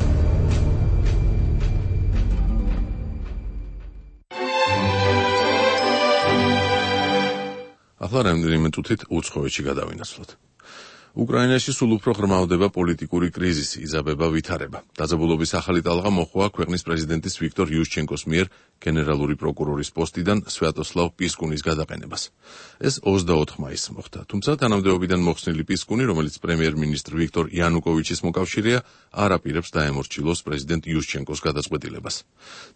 ახლა რამდენიმე წუთით უცხოეთში გადავინაცვლოთ. უკრაინაში სულ უფრო ღრმავდება პოლიტიკური კრიზისი, იზაბება ვითარება. დაძაბულობის ახალი ტალღა მოჰყვა ქვეყნის პრეზიდენტის ვიქტორ იუშჩენკოს მიერ გენერალური პროკურორის პოსტიდან სვიატოსლავ პისკუნის გადაყენებას. ეს 24 მაისს მოხდა, თუმცა თანამდებობიდან მოხსნილი პისკუნი, რომელიც პრემიერ-მინისტრ ვიქტორ იანუკოვიჩის მოკავშირეა, არ აპირებს დაემორჩილოს პრეზიდენტ იუშჩენკოს გადაწყვეტილებას.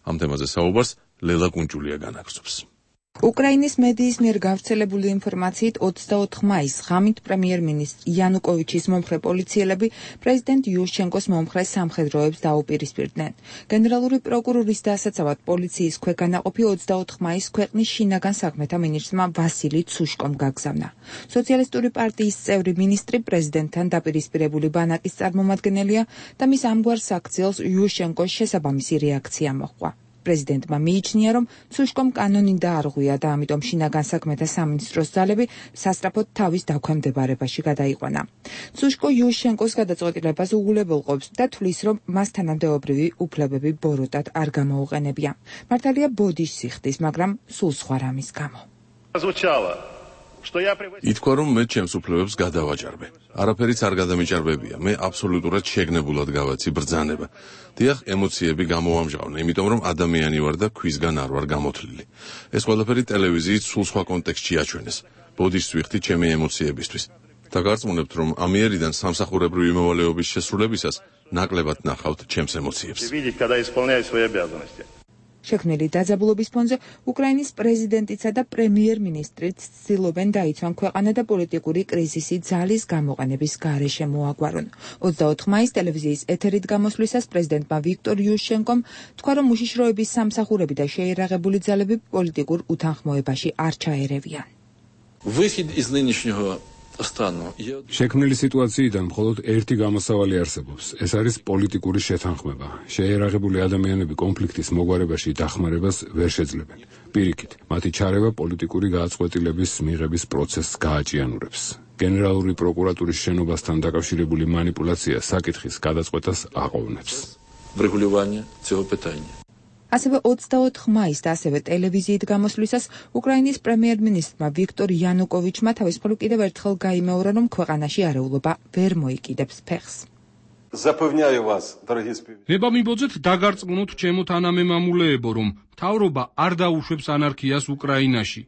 ამ თემაზე საუბარს ლელა კუნჭულია განაგრძობს. უკრაინის მედიის მიერ გავრცელებული ინფორმაციით 24 მაისს ღამით პრემიერ-მინისტრ იანუკოვიჩის მომხრე პოლიციელები პრეზიდენტ იუშჩენკოს მომხრე სამხედროებს დაუპირისპირდნენ. გენერალური პროკურორის დასაცავად პოლიციის ქვეგანაყოფი 24 მაისს ქვეყნის შინაგან საქმეთა მინისტრმა ვასილი ცუშკომ გაგზავნა. სოციალისტური პარტიის წევრი მინისტრი პრეზიდენტთან დაპირისპირებული ბანაკის წარმომადგენელია და მის ამგვარ საქციელს იუშჩენკოს შესაბამისი რეაქცია მოჰყვა. პრეზიდენტმა მიიჩნია, რომ ცუშკომ კანონი დაარღვია და ამიტომ შინაგან საქმეთა სამინისტროს ძალები სასწრაფოდ თავის დაქვემდებარებაში გადაიყვანა. ცუშკო იუშჩენკოს გადაწყვეტილებას უღულებელყოფს და თვლის, რომ მას თანამდებობრივი უფლებები ბოროტად არ გამოუყენებია. მართალია ბოდიშ სიხდის, მაგრამ სულ სხვა რამის გამო. ითქვა, რომ მე ჩემს უფლებებს გადავაჭარბე. არაფერიც არ გადამიჭარბებია. მე აბსოლუტურად შეგნებულად გავაცი ბრძანება. დიახ, ემოციები გამოვამჟღავნე, იმიტომ რომ ადამიანი ვარ და ქვისგან არ ვარ გამოთლილი. ეს ყველაფერი ტელევიზიით სულ სხვა კონტექსტში აჩვენეს. ბოდიშს ვიხდი ჩემი ემოციებისთვის. და გარწმუნებთ, რომ ამიერიდან სამსახურებრივი მოვალეობის შესრულებისას ნაკლებად ნახავთ ჩემს ემოციებს. შექმნილი დაძაბულობის ფონზე უკრაინის პრეზიდენტიცა და პრემიერ-მინისტრიც ცდილობენ დაიცვან ქვეყანა და პოლიტიკური კრიზისი ძალის გამოყენების გარეშე მოაგვარონ. 24 მაისს ტელევიზიის ეთერით გამოსვლისას პრეზიდენტმა ვიქტორ იუშჩენკომ თქვა, რომ უშიშროების სამსახურები და შეიარაღებული ძალები პოლიტიკურ უთანხმოებაში არ ჩაერევიან. შექმნილი სიტუაციიდან მხოლოდ ერთი გამოსავალი არსებობს. ეს არის პოლიტიკური შეთანხმება. შეიარაღებული ადამიანები კონფლიქტის მოგვარებაში დახმარებას ვერ შეძლებენ. პირიქით, მათი ჩარევა პოლიტიკური გააწყვეტილების მიღების პროცესს გააჭიანურებს. გენერალური პროკურატურის შენობასთან დაკავშირებული მანიპულაცია საკითხის გადაწყვეტას აყოვნებს. ასევე 24 მაისს და ასევე ტელევიზიით გამოსვლისას უკრაინის პრემიერ-მინისტრმა ვიქტორ იანუკოვიჩმა თავისუფლად კიდევ ერთხელ გაიმეორა, რომ ქვეყანაში არეულობა ვერ მოიკიდებს ფეხს. მე მიბოძეთ დაგარწმუნოთ ჩემო თანამემამულეებო, რომ მთავრობა არ დაუშვებს ანარქიას უკრაინაში.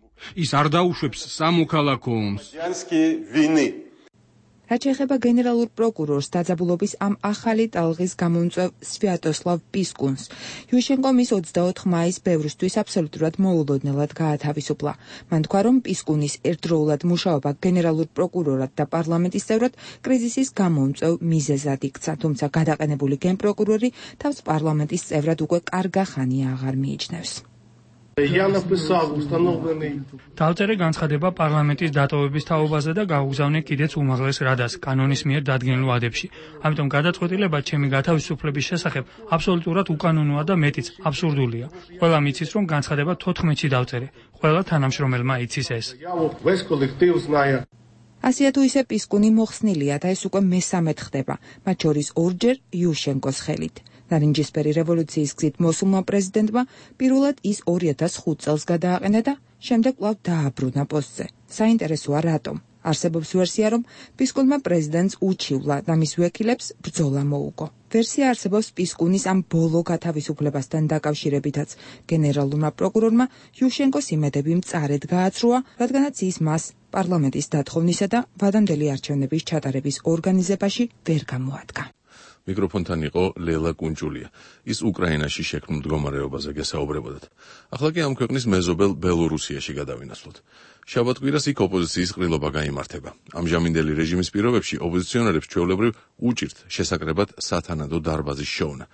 ის არ დაუშვებს სამოქალაქო ომს. რაც შეეხება გენერალურ პროკურორს დაძაბულობის ამ ახალი ტალღის გამომწვევ სვიატოსლავ პისკუნს, იუშჩენკომ ის 24 მაისს ბევრისთვის აბსოლუტურად მოულოდნელად გაათავისუფლა. მან თქვა, რომ პისკუნის ერთდროულად მუშაობა გენერალურ პროკურორად და პარლამენტის წევრად კრიზისის გამომწვევ მიზეზად იქცა, თუმცა გადაყენებული გენპროკურორი თავს პარლამენტის წევრად უკვე კარგა ხანია აღარ მიიჩნევს. დავწერე განცხადება პარლამენტის დატოვების თაობაზე და გავუგზავნე კიდეც უმაღლეს რადას კანონის მიერ დადგენილ ვადებში. ამიტომ გადაწყვეტილება ჩემი გათავისუფლების შესახებ აბსოლუტურად უკანონოა და მეტიც აბსურდულია. ყველა მიცის, რომ განცხადება 14-ში დავწერე. ყველა თანამშრომელმა იცის ეს. ასია თუ ისე პისკუნი მოხსნილია და ეს უკვე მესამედ ხდება, მათ შორის ორჯერ იუშჩენკოს ხელით. ნარინჯისფერი რევოლუციის გზით მოსულმა პრეზიდენტმა პირველად ის 2005 წელს გადააყენა და შემდეგ კვლავ დააბრუნა პოსტზე. საინტერესოა რატომ. არსებობს ვერსია, რომ პისკუნმა პრეზიდენტს უჩივლა და მის ვეკილებს ბრძოლა მოუგო. ვერსია არსებობს პისკუნის ამ ბოლო გათავისუფლებასთან დაკავშირებითაც. გენერალურმა პროკურორმა იუშჩენკოს იმედები მწარედ გააცრუა, რადგანაც ის მას პარლამენტის დათხოვნისა და ვადამდელი არჩევნების ჩატარების ორგანიზებაში ვერ გამოადგა. მიკროფონთან იყო ლელა კუნჭულია. ის უკრაინაში შექმნილ მდგომარეობაზე გესაუბრებოდათ. ახლა კი ამ ქვეყნის მეზობელ ბელორუსიაში გადავინაცვლოთ. შაბათ-კვირას იქ ოპოზიციის ყრილობა გაიმართება. ამჟამინდელი რეჟიმის პირობებში ოპოზიციონერებს ჩვეულებრივ უჭირთ შესაკრებად სათანადო დარბაზის შოვნა.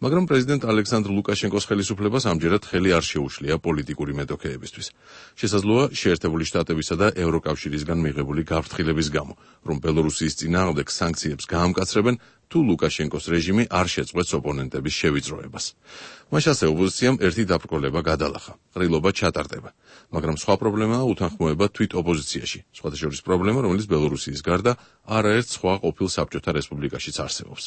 მაგრამ პრეზიდენტ ალექსანდრ ლუკაშენკოს ხელისუფლებას ამჯერად ხელი არ შეუშლია პოლიტიკური მეტოქეებისთვის. შესაძლოა შეერთებული შტატებისა და ევროკავშირისგან მიღებული გაფრთხილების გამო, რომ ბელორუსიის წინააღმდეგ სანქციებს გაამკაცრებენ, თუ ლუკაშენკოს რეჟიმი არ შეწყვეტს ოპონენტების შევიწროებას. მაშ ასე ოპოზიციამ ერთი დაბრკოლება გადალახა, ყრილობა ჩატარდება, მაგრამ სხვა პრობლემაა უთანხმოება თვით ოპოზიციაში, სხვათა შორის პრობლემა, რომელიც ბელორუსიის გარდა არაერთ სხვა ყოფილ საბჭოთა რესპუბლიკაშიც არსებობს.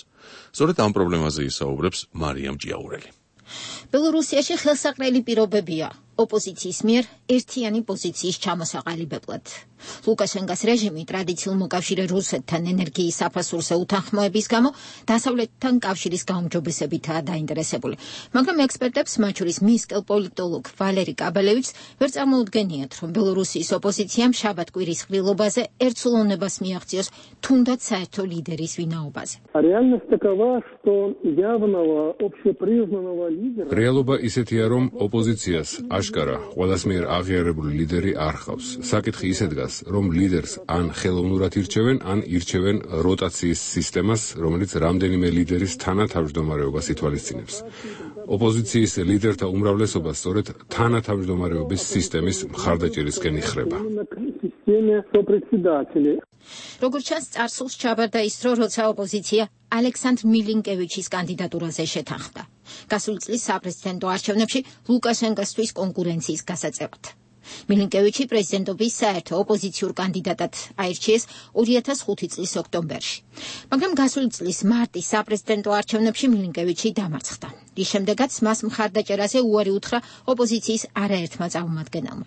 სწორედ ამ პრობლემაზე ისაუბრებს მარიამ ჭიაურელი. ბელორუსიაში ხელსაყრელი პირობებია ოპოზიციის მიერ ერთიანი პოზიციის ჩამოსაყალიბებლად. ლუკაშენკოს რეჟიმი ტრადიციულ მოკავშირე რუსეთთან ენერგიის საფასურზე უთანხმოების გამო დასავლეთთან კავშირის გაუმჯობესებითაა დაინტერესებული. მაგრამ ექსპერტებს, მათ შორის მისკელ პოლიტოლოგ ვალერი კაბელევიჩს, ვერ წარმოუდგენიათ, რომ ბელორუსიის ოპოზიციამ შაბათ-კვირის ყრილობაზე ერთსულოვნებას მიაღწიოს თუნდაც საერთო ლიდერის ვინაობაზე. რეალობა ისეთია, რომ ოპოზიციას აშკარა ყველას მიერ აღიარებული ლიდერი არ ხავს. საკითხი ისე დგას, რომ ლიდერს ან ხელოვნურად ირჩევენ, ან ირჩევენ როტაციის სისტემას, რომელიც რამდენიმე ლიდერის თანათავმჯდომარეობას ითვალისწინებს. ოპოზიციის ლიდერთა უმრავლესობა სწორედ თანათავმჯდომარეობის სისტემის მხარდაჭერისკენ იხრება. როგორც ჩანს, წარსულს ჩაბარდა ის დრო, როცა ოპოზიცია ალექსანდრ მილინკევიჩის კანდიდატურაზე შეთანხმდა. გასული წლის საპრეზიდენტო არჩევნებში ლუკაშენკოსთვის კონკურენციის გასაწევად. მილინკევიჩი პრეზიდენტობის საერთო ოპოზიციურ კანდიდატად აირჩიეს 2005 წლის ოქტომბერში. მაგრამ გასული წლის მარტის საპრეზიდენტო არჩევნებში მილინკევიჩი დამარცხდა. რის შემდეგაც მას მხარდაჭერაზე უარი უთხრა ოპოზიციის არაერთმა წარმომადგენელმა.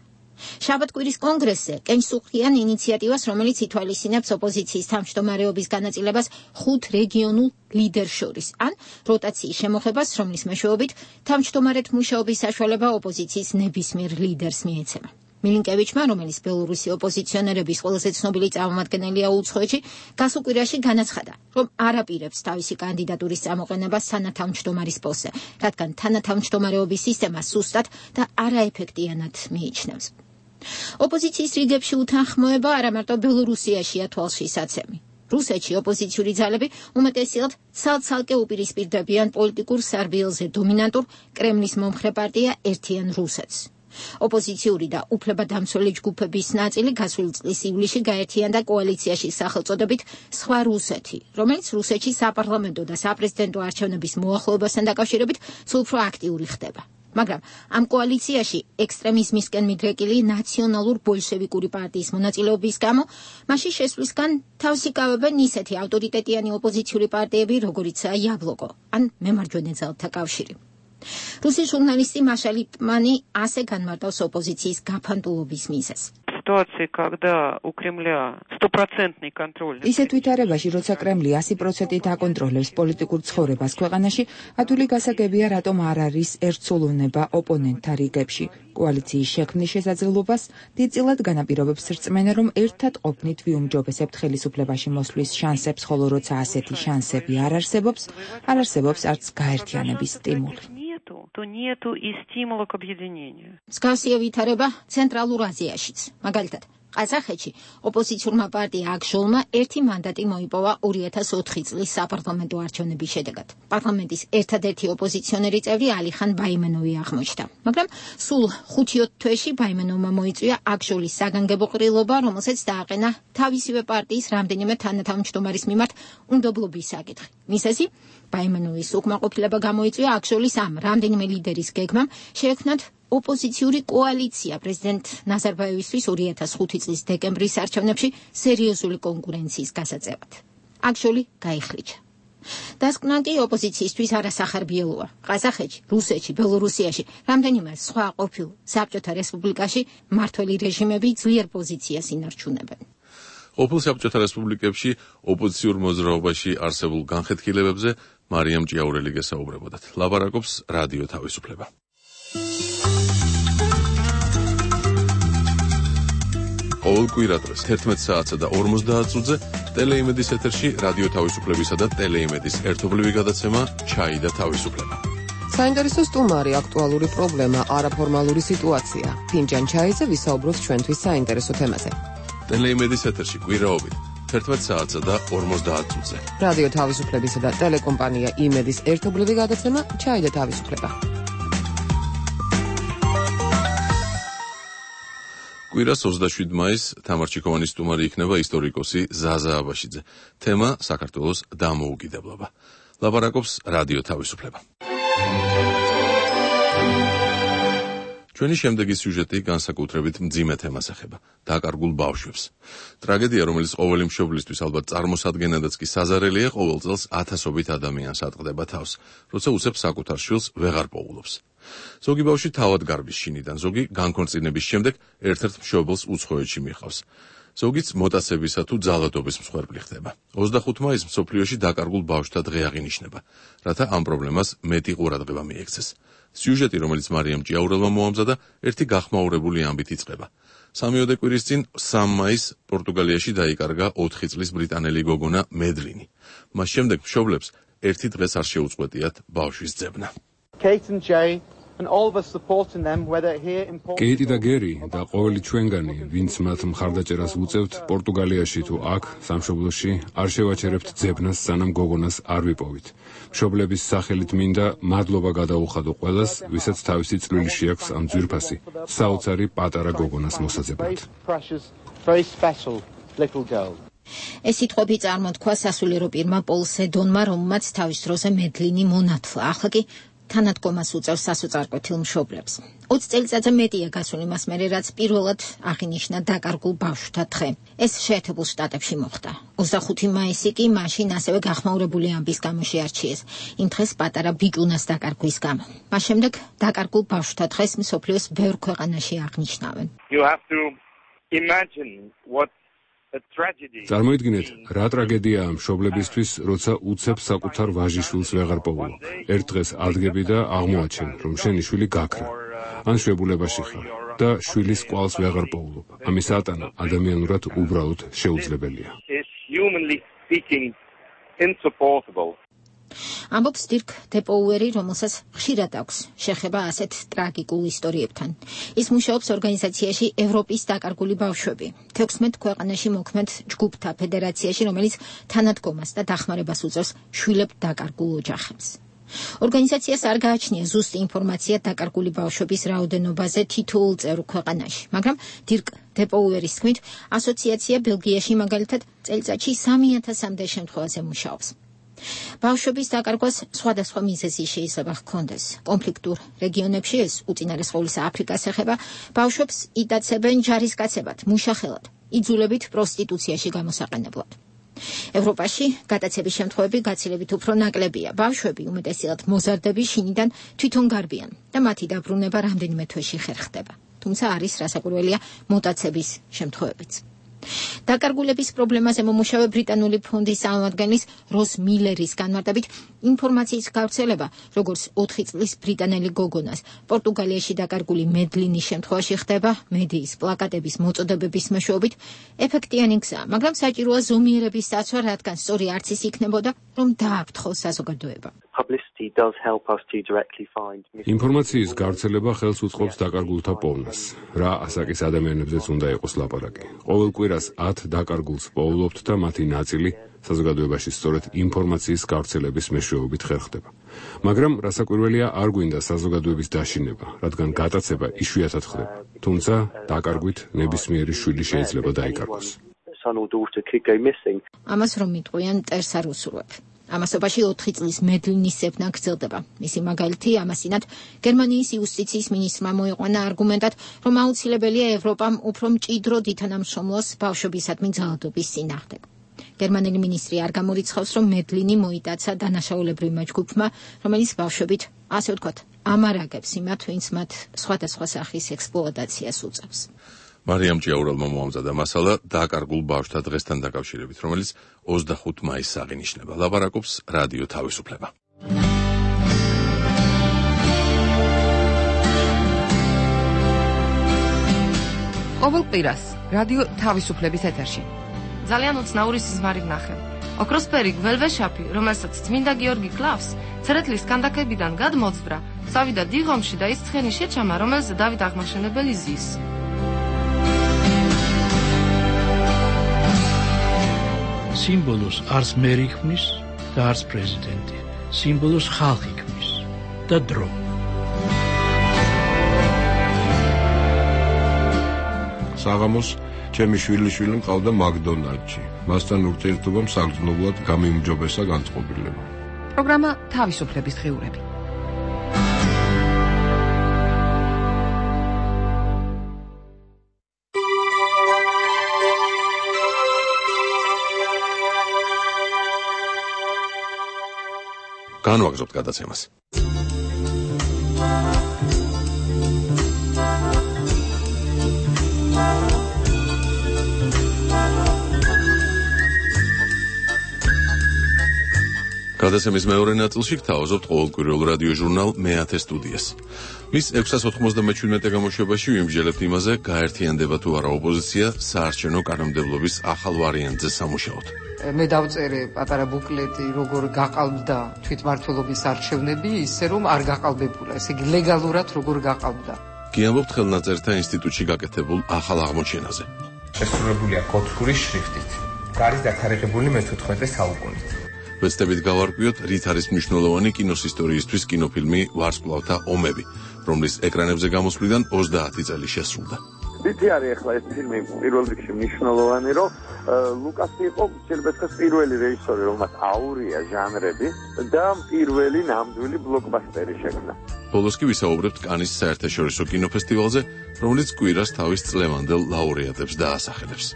შაბათ-კვირის კონგრესზე კენჭსუხიან ინიციატივას, რომელიც ითვალისწინებს ოპოზიციის თავმჯდომარეობის განაწილებას 5 რეგიონულ ლიდერს შორის, ან როტაციის შემოღებას, რომლის მეშვეობით თავმჯდომარედ მუშაობის საშუალება ოპოზიციის ნებისმიერ ლიდერს მიეცემა. მილინკევიჩმა, რომელიც ბელორუსი ოპოზიციონერების ყველაზე ცნობილი წარმომადგენელია უცხოეთში, გასულ კვირაში განაცხადა, რომ არ აპირებს თავისი კანდიდატურის წამოყენებას თანათავმჯდომარის პოსტზე, რადგან თანათავმჯდომარეობის სისტემა სუსტად და არაეფექტიანად მიიჩნევს. ოპოზიციის რიგებში უთანხმოება არა მარტო ბელორუსიაშია თვალშისაცემი. რუსეთში ოპოზიციური ძალები უმეტესად ცალ-ცალკე უპირისპირდებიან პოლიტიკურ სარბიელზე დომინანტურ კრემლის მომხრე პარტია ერთიან რუსეთს. ოპოზიციური და უფლებადამცველი ჯგუფების ნაწილი გასული წლის ივლისში გაერთიანდა კოალიციაში სახელწოდებით სხვა რუსეთი, რომელიც რუსეთში საპარლამენტო და საპრეზიდენტო არჩევნების მოახლოებასთან დაკავშირებით სულ უფრო აქტიური ხდება. მაგრამ ამ კოალიციაში ექსტრემიზმისკენ მიდრეკილი ნაციონალურ ბოლშევიკური პარტიის მონაწილეობის გამო მასში შესვლისგან თავს იკავებენ ისეთი ავტორიტეტიანი ოპოზიციური პარტიები, როგორიცაა იაბლოკო ან მემარჯვენე ძალთა კავშირი. რუსის ჟურნალისტი მაშა ლიპმანი ასე განმარტავს ოპოზიციის გაფანტულობის მიზეზს. ისეთ ვითარებაში, როცა კრემლი 100%-ით აკონტროლებს პოლიტიკურ ცხოვრებას ქვეყანაში, ადვილი გასაგებია, რატომ არ არის ერთსულოვნება ოპონენტთა რიგებში. კოალიციის შექმნის შესაძლებლობას დიდწილად განაპირობებს რწმენა, რომ ერთად ყოფნით ვიუმჯობესებთ ხელისუფლებაში მოსვლის შანსებს, ხოლო როცა ასეთი შანსები არ არსებობს არც გაერთიანების სტიმული. то нету и стимула к объединению. მსგავსია ვითარება ცენტრალურ აზიაშიც. მაგალითად, ყაზახეთში ოპოზიციურმა პარტია აკჟოლმა 1 მანდატი მოიპოვა 2004 წლის საპარლამენტო არჩევნების შედეგად. პარლამენტის ერთადერთი ოპოზიციონერი წევრი ალიხან ბაიმენოვი აღმოჩნდა. მაგრამ სულ 5-7 თვეში ბაიმენოვმა მოიწვია აკჟოლის საგანგებო ყრილობა, რომელსაც დააყენა თავისივე პარტიის რამდენიმე თანათავმჯდომარის მიმართ უნდობლობის საკითხი. მიზეზი ბაიმენოვის უკმაყოფილება გამოიწვია აკჟოლის ამ რამდენიმე ლიდერის გეგმამ შეექმნათ ოპოზიციური კოალიცია პრეზიდენტ ნაზარბაევისთვის 2005 წლის დეკემბრის არჩევნებში სერიოზული კონკურენციის გასაწევად. აკჟოლი გაიხლიჩა. დასკვნა კი ოპოზიციისთვის არასახარბიელოა. ყაზახეთში, რუსეთში, ბელორუსიაში, რამდენიმე სხვა ყოფილ საბჭოთა რესპუბლიკაში მმართველი რეჟიმები ძლიერ პოზიციას ინარჩუნებენ. ყოფილ საბჭოთა რესპუბლიკებში ოპოზიციურ მოძრაობაში არსებულ განხეთქილებებზე მარიამ ჭიაურელი გესაუბრებოდათ. ლაპარაკობს რადიო თავისუფლება. ყოველ კვირადღეს 11 საათსა და 50 წუთზე ტელეიმედის ეთერში რადიო თავისუფლებისა და ტელეიმედის ერთობლივი გადაცემა ჩაი და თავისუფლება. საინტერესო სტუმარი, აქტუალური პრობლემა, არაფორმალური სიტუაცია. ფინჯან ჩაიზე ვისაუბროთ ჩვენთვის საინტერესო თემაზე. ტელეიმედის ეთერში კვირაობით 11 საათსა და 50 წუთზე. რადიო თავისუფლებისა და ტელეკომპანია იმედის ერთობლივი გადაცემა ჩაი და თავისუფლება. კვირას 27 მაისს თამარ ჩიქოვანის სტუმარი იქნება ისტორიკოსი ზაზა აბაშიძე. თემა საქართველოს დამოუკიდებლობა. ლაპარაკობს რადიო თავისუფლება. ჩვენი შემდეგი სიუჟეტი განსაკუთრებით მძიმე თემას ეხება დაკარგულ ბავშვებს. ტრაგედია, რომელიც ყოველი მშობლისთვის ალბათ წარმოსადგენადაც კი საზარელია, ყოველ წელს ათასობით ადამიანს ატყდება თავს, როცა უცებ საკუთარ შვილს ვეღარ პოულობს. ზოგი ბავშვი თავად გარბის შინიდან, ზოგი განქორწინების შემდეგ ერთ-ერთ მშობელს უცხოეთში მიჰყავს. ზოგიც მოტაცებისა თუ ძალადობის მსხვერპლი ხდება. 25 მაისს მსოფლიოში დაკარგულ ბავშვთა დღე აღინიშნება, რათა ამ პრობლემას მეტი ყურადღება მიექცეს. სიუჟეტი, რომელიც მარიამ ჭიაურელმა მოამზადა, ერთი გახმაურებული ამბით იწყება. 3 კვირის წინ 3 მაისს პორტუგალიაში დაიკარგა 4 წლის ბრიტანელი გოგონა მედლინი. მას შემდეგ მშობლებს ერთი დღეს არ შეუწყვეტიათ ბავშვის ძებნა. კეიტი და გერი და ყოველი ჩვენგანი, ვინც მათ მხარდაჭერას უწევთ პორტუგალიაში თუ აქ, სამშობლოში, არ შევაჩერებთ ძებნას, სანამ გოგონას არ ვიპოვით. მშობლების სახელით მინდა მადლობა გადაუხადო ყველას, ვისაც თავისი წვლილი შეაქვს ამ ძვირფასი, საოცარი პატარა გოგონას მოსაძებნად. ეს სიტყვები წარმოთქვა სასულიერო პირმა პოლ სედონმა, რომელმაც თავის დროზე მედლინი მონათლა. ახლა კი თანადგომას უწევს სასოწარკვეთილ მშობლებს. 20 წელიწადზე მეტია გასული მას მერე, რაც პირველად აღინიშნა დაკარგულ ბავშვთა დღე. ეს შეერთებულ შტატებში მოხდა. 25 მაისი კი მაშინ ასევე გახმაურებული ამბის გამო შეარჩიეს. იმ დღეს პატარა ბიჭუნას დაკარგვის გამო. მას შემდეგ დაკარგულ ბავშვთა დღეს მსოფლიოს ბევრ ქვეყანაში აღნიშნავენ. წარმოიდგინეთ, რა ტრაგედიაა მშობლებისთვის, როცა უცებ საკუთარ ვაჟიშვილს ვეღარ პოულობ. ერთ დღეს ადგები და აღმოაჩენ, რომ შენი შვილი გაქრა, ან შვებულებაში ხარ და შვილის კვალს ვეღარ პოულობ. ამის ატანა ადამიანურად უბრალოდ შეუძლებელია. ამბობს დირკ დეპოუერი, რომელსაც ხშირად აქვს შეხება ასეთ ტრაგიკულ ისტორიებთან. ის მუშაობს ორგანიზაციაში ევროპის დაკარგული ბავშვები. 16 ქვეყანაში მოქმედ ჯგუფთა ფედერაციაში, რომელიც თანადგომას და დახმარებას უწევს შვილებ დაკარგულ ოჯახებს. ორგანიზაციას არ გააჩნია ზუსტი ინფორმაცია დაკარგული ბავშვების რაოდენობაზე თითოეულ წევრ ქვეყანაში, მაგრამ დირკ დეპოუერის თქმით, ასოციაცია ბელგიაში მაგალითად წელიწადში 3000-მდე შემთხვევაზე მუშაობს. ბავშვების დაკარგვას სხვადასხვა მიზეზი შეიძლება ჰქონდეს. კონფლიქტურ რეგიონებში, ეს უწინარესყოვლისა აფრიკას ეხება, ბავშვებს იტაცებენ ჯარისკაცებად, მუშახელად, იძულებით პროსტიტუციაში გამოსაყენებლად. ევროპაში გადაცების შემთხვევები გაცილებით უფრო ნაკლებია. ბავშვები უმეტესად მოზარდები შინიდან თვითონ გარბიან და მათი დაბრუნება რამდენიმე თვეში ხერხდება. თუმცა არის რასაკვირველია მუტაცების შემთხვევებიც. დაკარგულების პრობლემაზე მომუშავე ბრიტანული ფონდის წარმომადგენლის როს მილერის განმარტებით, ინფორმაციის გავრცელება, როგორც 4 წლის ბრიტანელი გოგონას პორტუგალიაში დაკარგული მედლინის შემთხვევაში ხდება მედიის პლაკატების მოწოდებების მეშვეობით, ეფექტიანი გზაა, მაგრამ საჭიროა ზომიერების დაცვა, რადგან სწორი არც ის იქნებოდა, რომ დააფრთხოს საზოგადოება. ინფორმაციის გავრცელება ხელს უწყობს დაკარგულთა პოვნას. რა ასაკის ადამიანებზეც უნდა იყოს ლაპარაკი. ყოველ კვირას 10 დაკარგულს პოულობთ და მათი ნაწილი საზოგადოებაში სწორედ ინფორმაციის გავრცელების მეშვეობით ხერხდება. მაგრამ რასაკვირველია, არ გვინდა საზოგადოების დაშინება, რადგან გატაცება იშვიათად ხდება. თუმცა დაკარგვით ნებისმიერი შვილი შეიძლება დაიკარგოს. ამას რომ მიტყვიან მტერს არ უსურვებ. ამასობაში 4 წლის მედლინის ზებნა გრძელდება. მისი მაგალითი ამასინად გერმანიის იუსტიციის მინისტრმა მოიყვანა არგუმენტად, რომ აუცილებელია ევროპამ უფრო მჭიდროდ ითანამშრომლოს ბავშვებისადმი ძალადობის წინააღმდეგ. გერმანელი მინისტრი არ გამორიცხავს, რომ მედლინი მოიტაცა დანაშაულებრივმა ჯგუფმა, რომელიც ბავშვებით, ასე ვთქვათ, ამარაგებს იმათ, ვინც მათ სხვადასხვა სახის ექსპლუატაციას უწევს. მარიამ ჭიაურელმა მოამზადა მასალა დაკარგულ ბავშვთა დღესთან დაკავშირებით, რომელიც 25 მაისს აღინიშნება. ლაპარაკობს რადიო თავისუფლება. ყოველ კვირას რადიო თავისუფლების ეთერში. ძალიან უცნაური სიზმარი ვნახე. ოქროსფერი გველვეშაპი, რომელსაც წმინდა გიორგი კლავს, ცერეთლის კანდაკებიდან გადმოძვრა, წავიდა დიღომში და ის ცხენი შეჩამა, რომელზე დავით აღმაშენებელი ზის. სიმბოლოს არც მერი ქმნის და არც პრეზიდენტი. სიმბოლოს ხალხი ქმნის და დრო. საღამოს ჩემი შვილიშვილი მყავდა მაკდონალდში. მასთან ურთიერთობამ საგრძნობლად გამიმჯობესა განწყობილება. პროგრამა თავისუფლების დღიურები. განვაგრძობთ გადაცემას. გადაცემის მეორე ნაწილში გთავაზობთ ყოველკვირეულ რადიო ჟურნალ მე-10 სტუდიას. მის 697 გამოშვებაში ვიმსჯელებთ იმაზე, გაერთიანდება თუ არა ოპოზიცია საარჩევნო კანონმდებლობის ახალ ვარიანტზე სამუშაოდ. მე დავწერე პატარა ბუკლეტი, როგორ გაყალბდა თვითმმართველობის არჩევნები, ისე რომ არ გაყალბებულა, ესე იგი ლეგალურად როგორ გაყალბდა. გიამბობთ ხელნაწერთა ინსტიტუტში გაკეთებულ ახალ აღმოჩენაზე. შესრულებულია კოთხური შრიფტით. გარის დათარიღებული მე-14 საუკუნით. ვეცდებით გავარკვიოთ, რით არის მნიშვნელოვანი კინოს ისტორიისთვის კინოფილმი ვარსკვლავთა ომები, რომლის ეკრანებზე გამოსვლიდან 30 წელი შესრულდა. ვიცი არის ახლა ეს ფილმი პირველ რიგში მნიშვნელოვანი, რომ ლუკასი იყო შეიძლება პირველი რეჟისორი, რომელმაც აურია ჟანრები და პირველი ნამდვილი ბლოკბასტერი შექმნა. ბოლოს კი ვისაუბრებთ კანის საერთაშორისო კინოფესტივალზე, რომელიც კვირას თავის წლევანდელ ლაურეატებს დაასახელებს.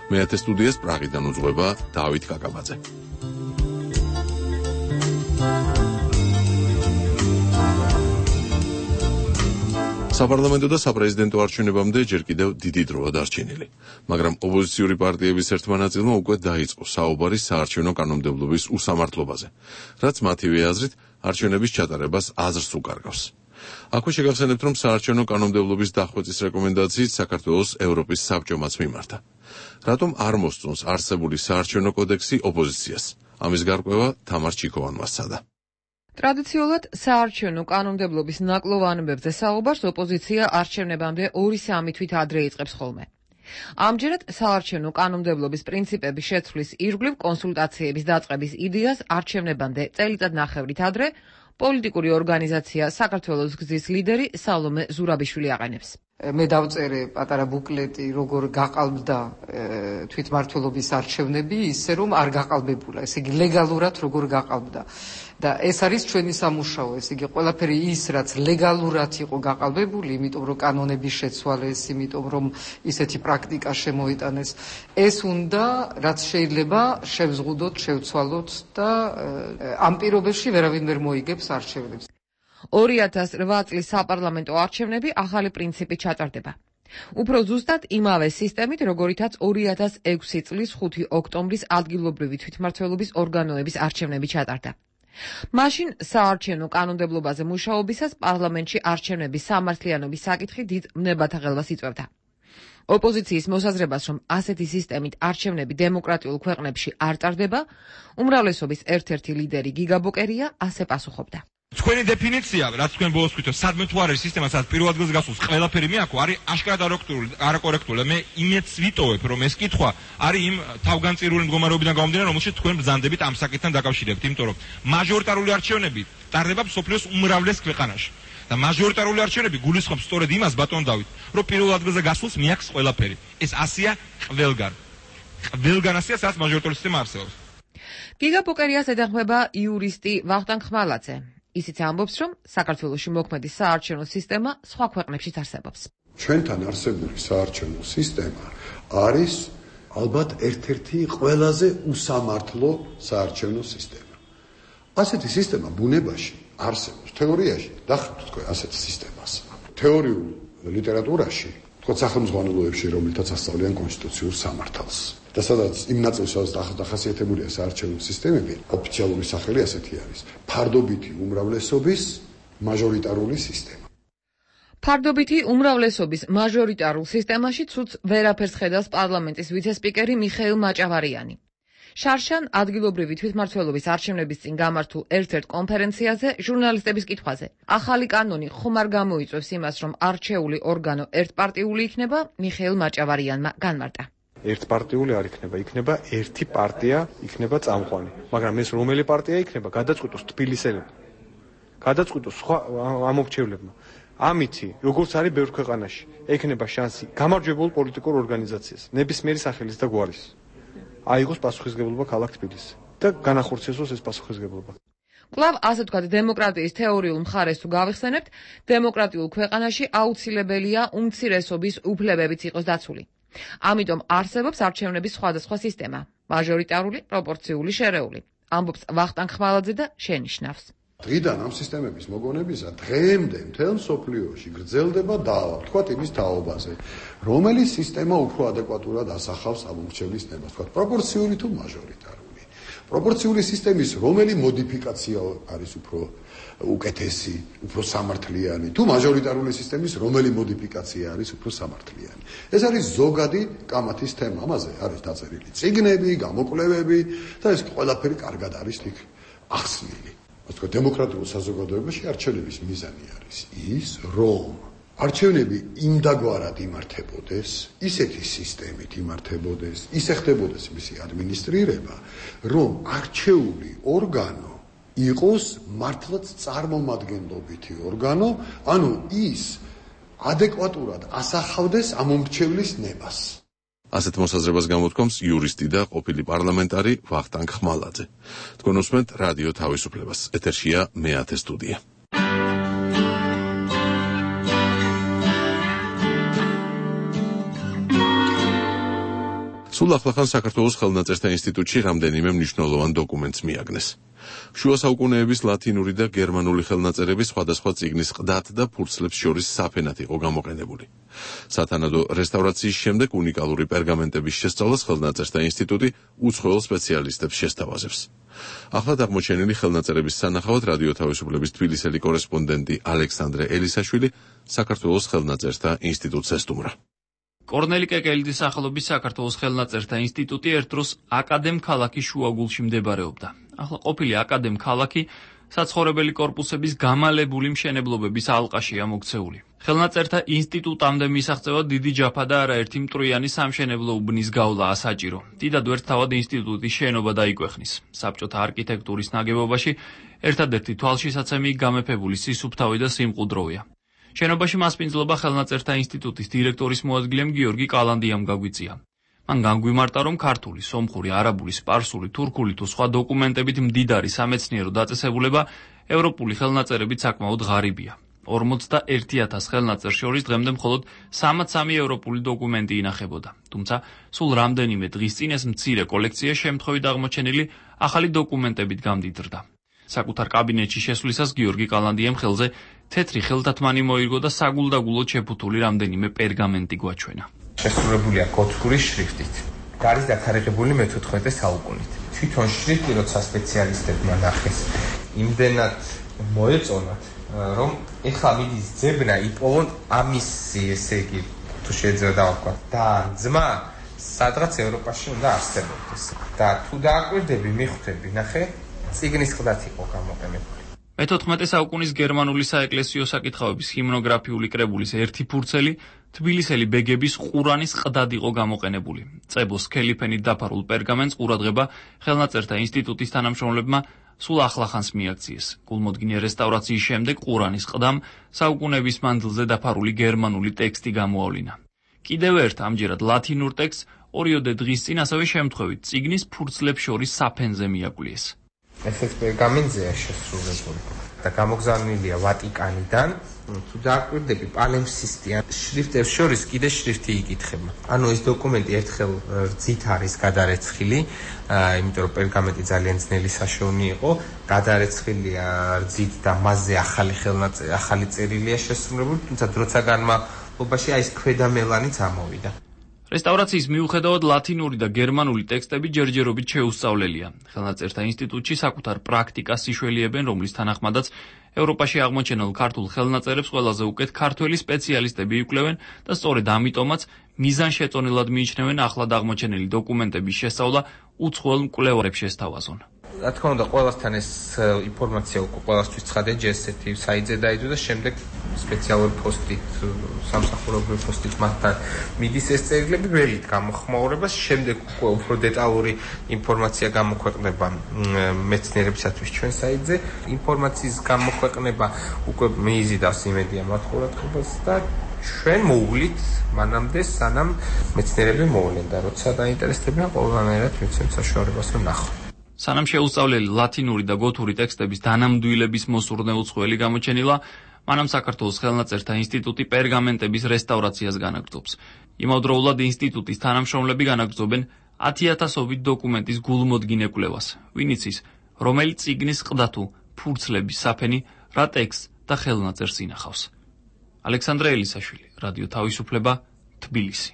მე-10 სტუდიას პრაღიდან უძღვება დავით კაკაბაძე. საპარლამენტო და საპრეზიდენტო არჩევნებამდე ჯერ კიდევ დიდი დროა დარჩენილი, მაგრამ ოპოზიციური პარტიების ერთმა ნაწილმა უკვე დაიწყო საუბარი საარჩევნო კანონმდებლობის უსამართლობაზე, რაც მათივე აზრით არჩევნების ჩატარებას აზრს უკარგავს. აქვე შეგახსენებთ, რომ საარჩევნო კანონმდებლობის დახვეწის რეკომენდაციით საქართველოს ევროპის საბჭომაც მიმართა. რატომ არ მოსწონს არსებული საარჩევნო კოდექსი ოპოზიციას? ამის გარკვევა თამარ ჩიქოვანმა სცადა. ტრადიციულად საარჩევნო კანონმდებლობის ნაკლოვანებებზე საუბარს ოპოზიცია არჩევნებამდე 2-3 თვით ადრე იწყებს ხოლმე. ამჯერად საარჩევნო კანონმდებლობის პრინციპების შეცვლის ირგვლივ კონსულტაციების დაწყების იდეას არჩევნებამდე წელიწადნახევრით ადრე პოლიტიკური ორგანიზაცია საქართველოს გზის ლიდერი სალომე ზურაბიშვილი აყენებს. მე დავწერე პატარა ბუკლეტი, როგორ გაყალბდა თვითმმართველობის არჩევნები, ისე რომ არ გაყალბებულა, ესე იგი ლეგალურად როგორ გაყალბდა. და ეს არის ჩვენი სამუშაო, ესე იგი ყველაფერი ის, რაც ლეგალურად იყო გაყალბებული, იმიტომ რომ კანონების შეცვალეს, იმიტომ რომ ისეთი პრაქტიკა შემოიტანეს, ეს უნდა რაც შეიძლება შევზღუდოთ, შევცვალოთ და ამ პირობებში ვერავინ ვერ მოიგებს არჩევნებს. 2008 წლის საპარლამენტო არჩევნები ახალი პრინციპით ჩატარდება. უფრო ზუსტად იმავე სისტემით, როგორითაც 2006 წლის 5 ოქტომბრის ადგილობრივი თვითმმართველობის ორგანოების არჩევნები ჩატარდა. მაშინ საარჩევნო კანონმდებლობაზე მუშაობისას პარლამენტში არჩევნების სამართლიანობის საკითხი დიდ ვნებათა ხელვას იწვევდა. ოპოზიციის მოსაზრებას, რომ ასეთი სისტემით არჩევნები დემოკრატიულ ქვეყნებში არ ტარდება, უმრავლესობის ერთ-ერთი ლიდერი გიგა ბოკერია ასე პასუხობდა. თქვენი დეფინიცია, რაც თქვენ ბოლოს ვთქვით, სადმე თუ არის სისტემა, სადაც პირველ ადგილს გასულს ყველაფერი მეაქო, არის აშკარად არაკორექტული. მე იმედს ვიტოვებ, რომ ეს კითხვა არის იმ თავგანწირული მდგომარეობიდან გამომდინარე, რომელშიც თქვენ ბრძანდებით ამ საკითხთან დაკავშირებით, იმიტომ რომ მაჟორიტარული არჩევნები ტარდება მსოფლიოს უმრავლეს ქვეყანაში. და მაჟორიტარული არჩევნები გულისხმობს სწორედ იმას, ბატონ დავით, რომ პირველ ადგილზე გასულს მეაქს ყველაფერი. ეს ასია ყველგან. ყველგან ასია, სადაც მაჟორიტარული სისტემა არსებობს. გიგა ბოკერიას ედახმება იურისტი ვახტანგ ხმალაძე. ისიც ამბობს, რომ საქართველოში მოქმედი საარჩევნო სისტემა სხვა ქვეყნებშიც არსებობს. ჩვენთან არსებული საარჩევნო სისტემა არის ალბათ ერთ-ერთი ყველაზე უსამართლო საარჩევნო სისტემა. ასეთი სისტემა ბუნებაში არსებობს, თეორიაში დახრთ თქვენ ასეთ სისტემას. თეორიულ ლიტერატურაში, თქო სახელმძღვანელოებში, რომელთაც ასწავლიან კონსტიტუციურ სამართალს. და სადაც იმ ნაწილსაც დახასიათებულია საარჩევნო სისტემები, ოფიციალური სახელი ასეთი არის: ფარდობითი უმრავლესობის მაჟორიტარული სისტემა. ფარდობითი უმრავლესობის მაჟორიტარულ სისტემაში ცუდს ვერაფერს ხედავს პარლამენტის ვიცე-სპიკერი მიხეილ მაჭავარიანი. შარშან ადგილობრივი თვითმმართველობის არჩევნების წინ გამართულ ერთ-ერთ კონფერენციაზე ჟურნალისტების კითხვაზე ახალი კანონი ხომ არ გამოიწვევს იმას, რომ არჩეული ორგანო ერთპარტიული იქნება, მიხეილ მაჭავარიანმა განმარტა. ერთპარტიული არ იქნება, იქნება ერთი პარტია, იქნება წამყვანი. მაგრამ ეს რომელი პარტია იქნება, გადაწყვიტოს თბილისელებმა. გადაწყვიტოს სხვა ამორჩევლებმა. ამითი, როგორც არის ბევრ ქვეყანაში, ექნება შანსი გამარჯვებულ პოლიტიკურ ორგანიზაციას, ნებისმიერი სახელის და გვარის. აიღოს პასუხისმგებლობა ქალაქ თბილისს და განახორციელოს ეს პასუხისმგებლობა. კვლავ ასე ვთქვათ, დემოკრატიის თეორიულ მხარეს თუ გავიხსენებთ, დემოკრატიულ ქვეყანაში აუცილებელია უმცირესობის უფლებებიც იყოს დაცული. ამიტომ არსებობს არჩევნების სხვადასხვა სისტემა: მაჟორიტარული, პროპორციული, შერეული. ამბობს ვახტანგ ხმალაძე და შენიშნავს. დღიდან ამ სისტემების მოგონებისა დღემდე მთელ მსოფლიოში გრძელდება დავა, თქვათ იმის თაობაზე, რომელი სისტემა უფრო ადეკვატურად ასახავს ამორჩევლის ნებას, თქვათ პროპორციული თუ მაჟორიტარული. პროპორციული სისტემის რომელი მოდიფიკაცია არის უფრო უკეთესი, უფრო სამართლიანი, თუ მაჟორიტარული სისტემის რომელი მოდიფიკაცია არის უფრო სამართლიანი. ეს არის ზოგადი კამათის თემა, ამაზე არის დაწერილი წიგნები, გამოკვლევები და ეს ყველაფერი კარგად არის იქ ახსნილი. ასე დემოკრატიულ საზოგადოებაში არჩევნების მიზანი არის ის, რომ არჩევნები იმდაგვარად იმართებოდეს, ისეთი სისტემით იმართებოდეს, ისე ხდებოდეს მისი ადმინისტრირება, რომ არჩეული ორგანო იყოს მართლაც წარმომადგენლობითი ორგანო, ანუ ის ადეკვატურად ასახავდეს ამომრჩევლის ნებას. ასეთ მოსაზრებას გამოთქვამს იურისტი და ყოფილი პარლამენტარი ვახტანგ ხმალაძე. თქვენ უსმენთ რადიო თავისუფლებას. ეთერშია მეათე სტუდია. სულ ახლახან საქართველოს ხელნაწერთა ინსტიტუტში რამდენიმე მნიშვნელოვან დოკუმენტს მიაგნეს. შუა საუკუნეების ლათინური და გერმანული ხელნაწერები სხვადასხვა წიგნის ყდათ და ფურცლებს შორის საფენად იყო გამოყენებული. სათანადო რესტავრაციის შემდეგ უნიკალური პერგამენტების შესწავლას ხელნაწერთა ინსტიტუტი უცხოელ სპეციალისტებს შესთავაზებს. ახლად აღმოჩენილი ხელნაწერების სანახავად რადიო თავისუფლების თბილისელი კორესპონდენტი ალექსანდრე ელისაშვილი საქართველოს ხელნაწერთა ინსტიტუტს ესტუმრა. კორნელი კეკელიძის სახელობის საქართველოს ხელნაწერთა ინსტიტუტი ერთ დროს აკადემ ქალაქის შუაგულში მდებარეობდა. ახლა ყოფილი აკადემ ქალაქი საცხოვრებელი კორპუსების გამალებული მშენებლობების ალყაშია მოქცეული. ხელნაწერთა ინსტიტუტამდე მისაღწევად დიდი ჯაფა და არაერთი მტრიანი სამშენებლო უბნის გავლაა საჭირო. დიდად ვერ თავად ინსტიტუტის შენობა დაიკვეხნის. საბჭოთა არქიტექტურის ნაგებობაში ერთადერთი თვალშისაცემი გამეფებული სისუფთავი და სიმყუდროვია. შენობაში მასპინძლობა ხელნაწერთა ინსტიტუტის დირექტორის მოადგილემ გიორგი კალანდიამ გაგვიწია. მან განგვიმარტა, რომ ქართული, სომხური, არაბული, სპარსული, თურქული თუ სხვა დოკუმენტებით მდიდარი სამეცნიერო დაწესებულება ევროპული ხელნაწერებით საკმაოდ ღარიბია. 41,000 ხელნაწერს შორის დღემდე მხოლოდ 63 ევროპული დოკუმენტი ინახებოდა. თუმცა სულ რამდენიმე დღის წინ ეს მცირე კოლექცია შემთხვევით აღმოჩენილი ახალი დოკუმენტებით გამდიდრდა. საკუთარ კაბინეტში შესვლისას გიორგი კალანდიამ ხელზე თეთრი ხელთათმანი მოირგო და საგულდაგულოდ შეფუთული რამდენიმე პერგამენტი გვაჩვენა. შესრულებულია გოთური შრიფტით. გარის დათარიღებული მე-14 საუკუნით. თვითონ შრიფტი, როცა სპეციალისტებმა ნახეს, იმდენად მოეწონათ, რომ ეხლა მიდის ძებნა იპოვონ ამის, ესე იგი, თუ შეიძლება დავაკვირდეთ, და ძმა სადღაც ევროპაში უნდა არსებობდეს. და თუ დააკვირდები, მიხვდები, ნახე, წიგნის ყდათ იყო გამოყენებული. მე-14 საუკუნის გერმანული საეკლესიო საკითხავების ჰიმნოგრაფიული კრებულის ერთი ფურცელი თბილისელი ბეგების ყურანის ყდად იყო გამოყენებული. წებოს სქელი ფენით დაფარულ პერგამენტს ყურადღება ხელნაწერთა ინსტიტუტის თანამშრომლებმა სულ ახლახანს მიაქციეს. გულმოდგინე რესტავრაციის შემდეგ ყურანის ყდამ საუკუნეების მანძილზე დაფარული გერმანული ტექსტი გამოავლინა. კიდევ ერთ ამჯერად ლათინურ ტექსტს ორიოდე დღის წინ ასევე შემთხვევით წიგნის ფურცლებს შორის საფენზე მიაკვლიეს. ესეც პერგამენტზეა შესრულებული და გამოგზავნილია ვატიკანიდან. თუ დააკვირდები, პალემსისტიან შრიფტებს შორის კიდე შრიფტი იკითხება. ანუ ეს დოკუმენტი ერთხელ რძით არის გადარეცხილი, იმიტომ რომ პერგამენტი ძალიან ძნელი საშოვნი იყო, გადარეცხილია რძით და მასზე ახალი წერილია შესრულებული, თუმცა დროთა განმავლობაში ეს ქვედა მელანიც ამოვიდა. რესტავრაციის მიუხედავად ლათინური და გერმანული ტექსტები ჯერჯერობით შეუსწავლელია. ხელნაწერთა ინსტიტუტში საკუთარ პრაქტიკას იშველიებენ, რომლის თანახმადაც ევროპაში აღმოჩენილ ქართულ ხელნაწერებს ყველაზე უკეთ ქართველი სპეციალისტები იკვლევენ და სწორედ ამიტომაც მიზანშეწონილად მიიჩნევენ ახლად აღმოჩენილი დოკუმენტების შესწავლა უცხოელ მკვლევარებს შესთავაზონ. რა თქმა უნდა, ყველასთან ეს ინფორმაცია უკვე ყველასთვის ცხადია, ჯესეთი საიტზე დაიდო და შემდეგ სპეციალური პოსტით, სამსახურებრივი პოსტით მათთან მიდის ეს წერილები ველით გამოხმაურებას, შემდეგ უკვე უფრო დეტალური ინფორმაცია გამოქვეყნება მეცნიერებისათვის ჩვენ საიტზე. ინფორმაციის გამოქვეყნება უკვე მიიზიდავს იმედია მათ ყურადღებას და ჩვენ მოუვლით მანამდე სანამ მეცნიერები მოვლენ და როცა დაინტერესდებიან ყველანაირად მიცემთ საშუალებას რომ ნახოთ. სანამ შეუსწავლელი ლათინური და გოთური ტექსტების დანამდვილების მოსურნე უცხოელი გამოჩენილა, მანამ საქართველოს ხელნაწერთა ინსტიტუტი პერგამენტების რესტავრაციას განაგრძობს. იმავდროულად ინსტიტუტის თანამშრომლები განაგრძობენ 10,000-ობით დოკუმენტის გულმოდგინე კვლევას. ვინ იცის, რომელი წიგნის ყდა თუ ფურცლების საფენი რა ტექსტს და ხელნაწერს ინახავს. ალექსანდრე ელისაშვილი, რადიო თავისუფლება, თბილისი.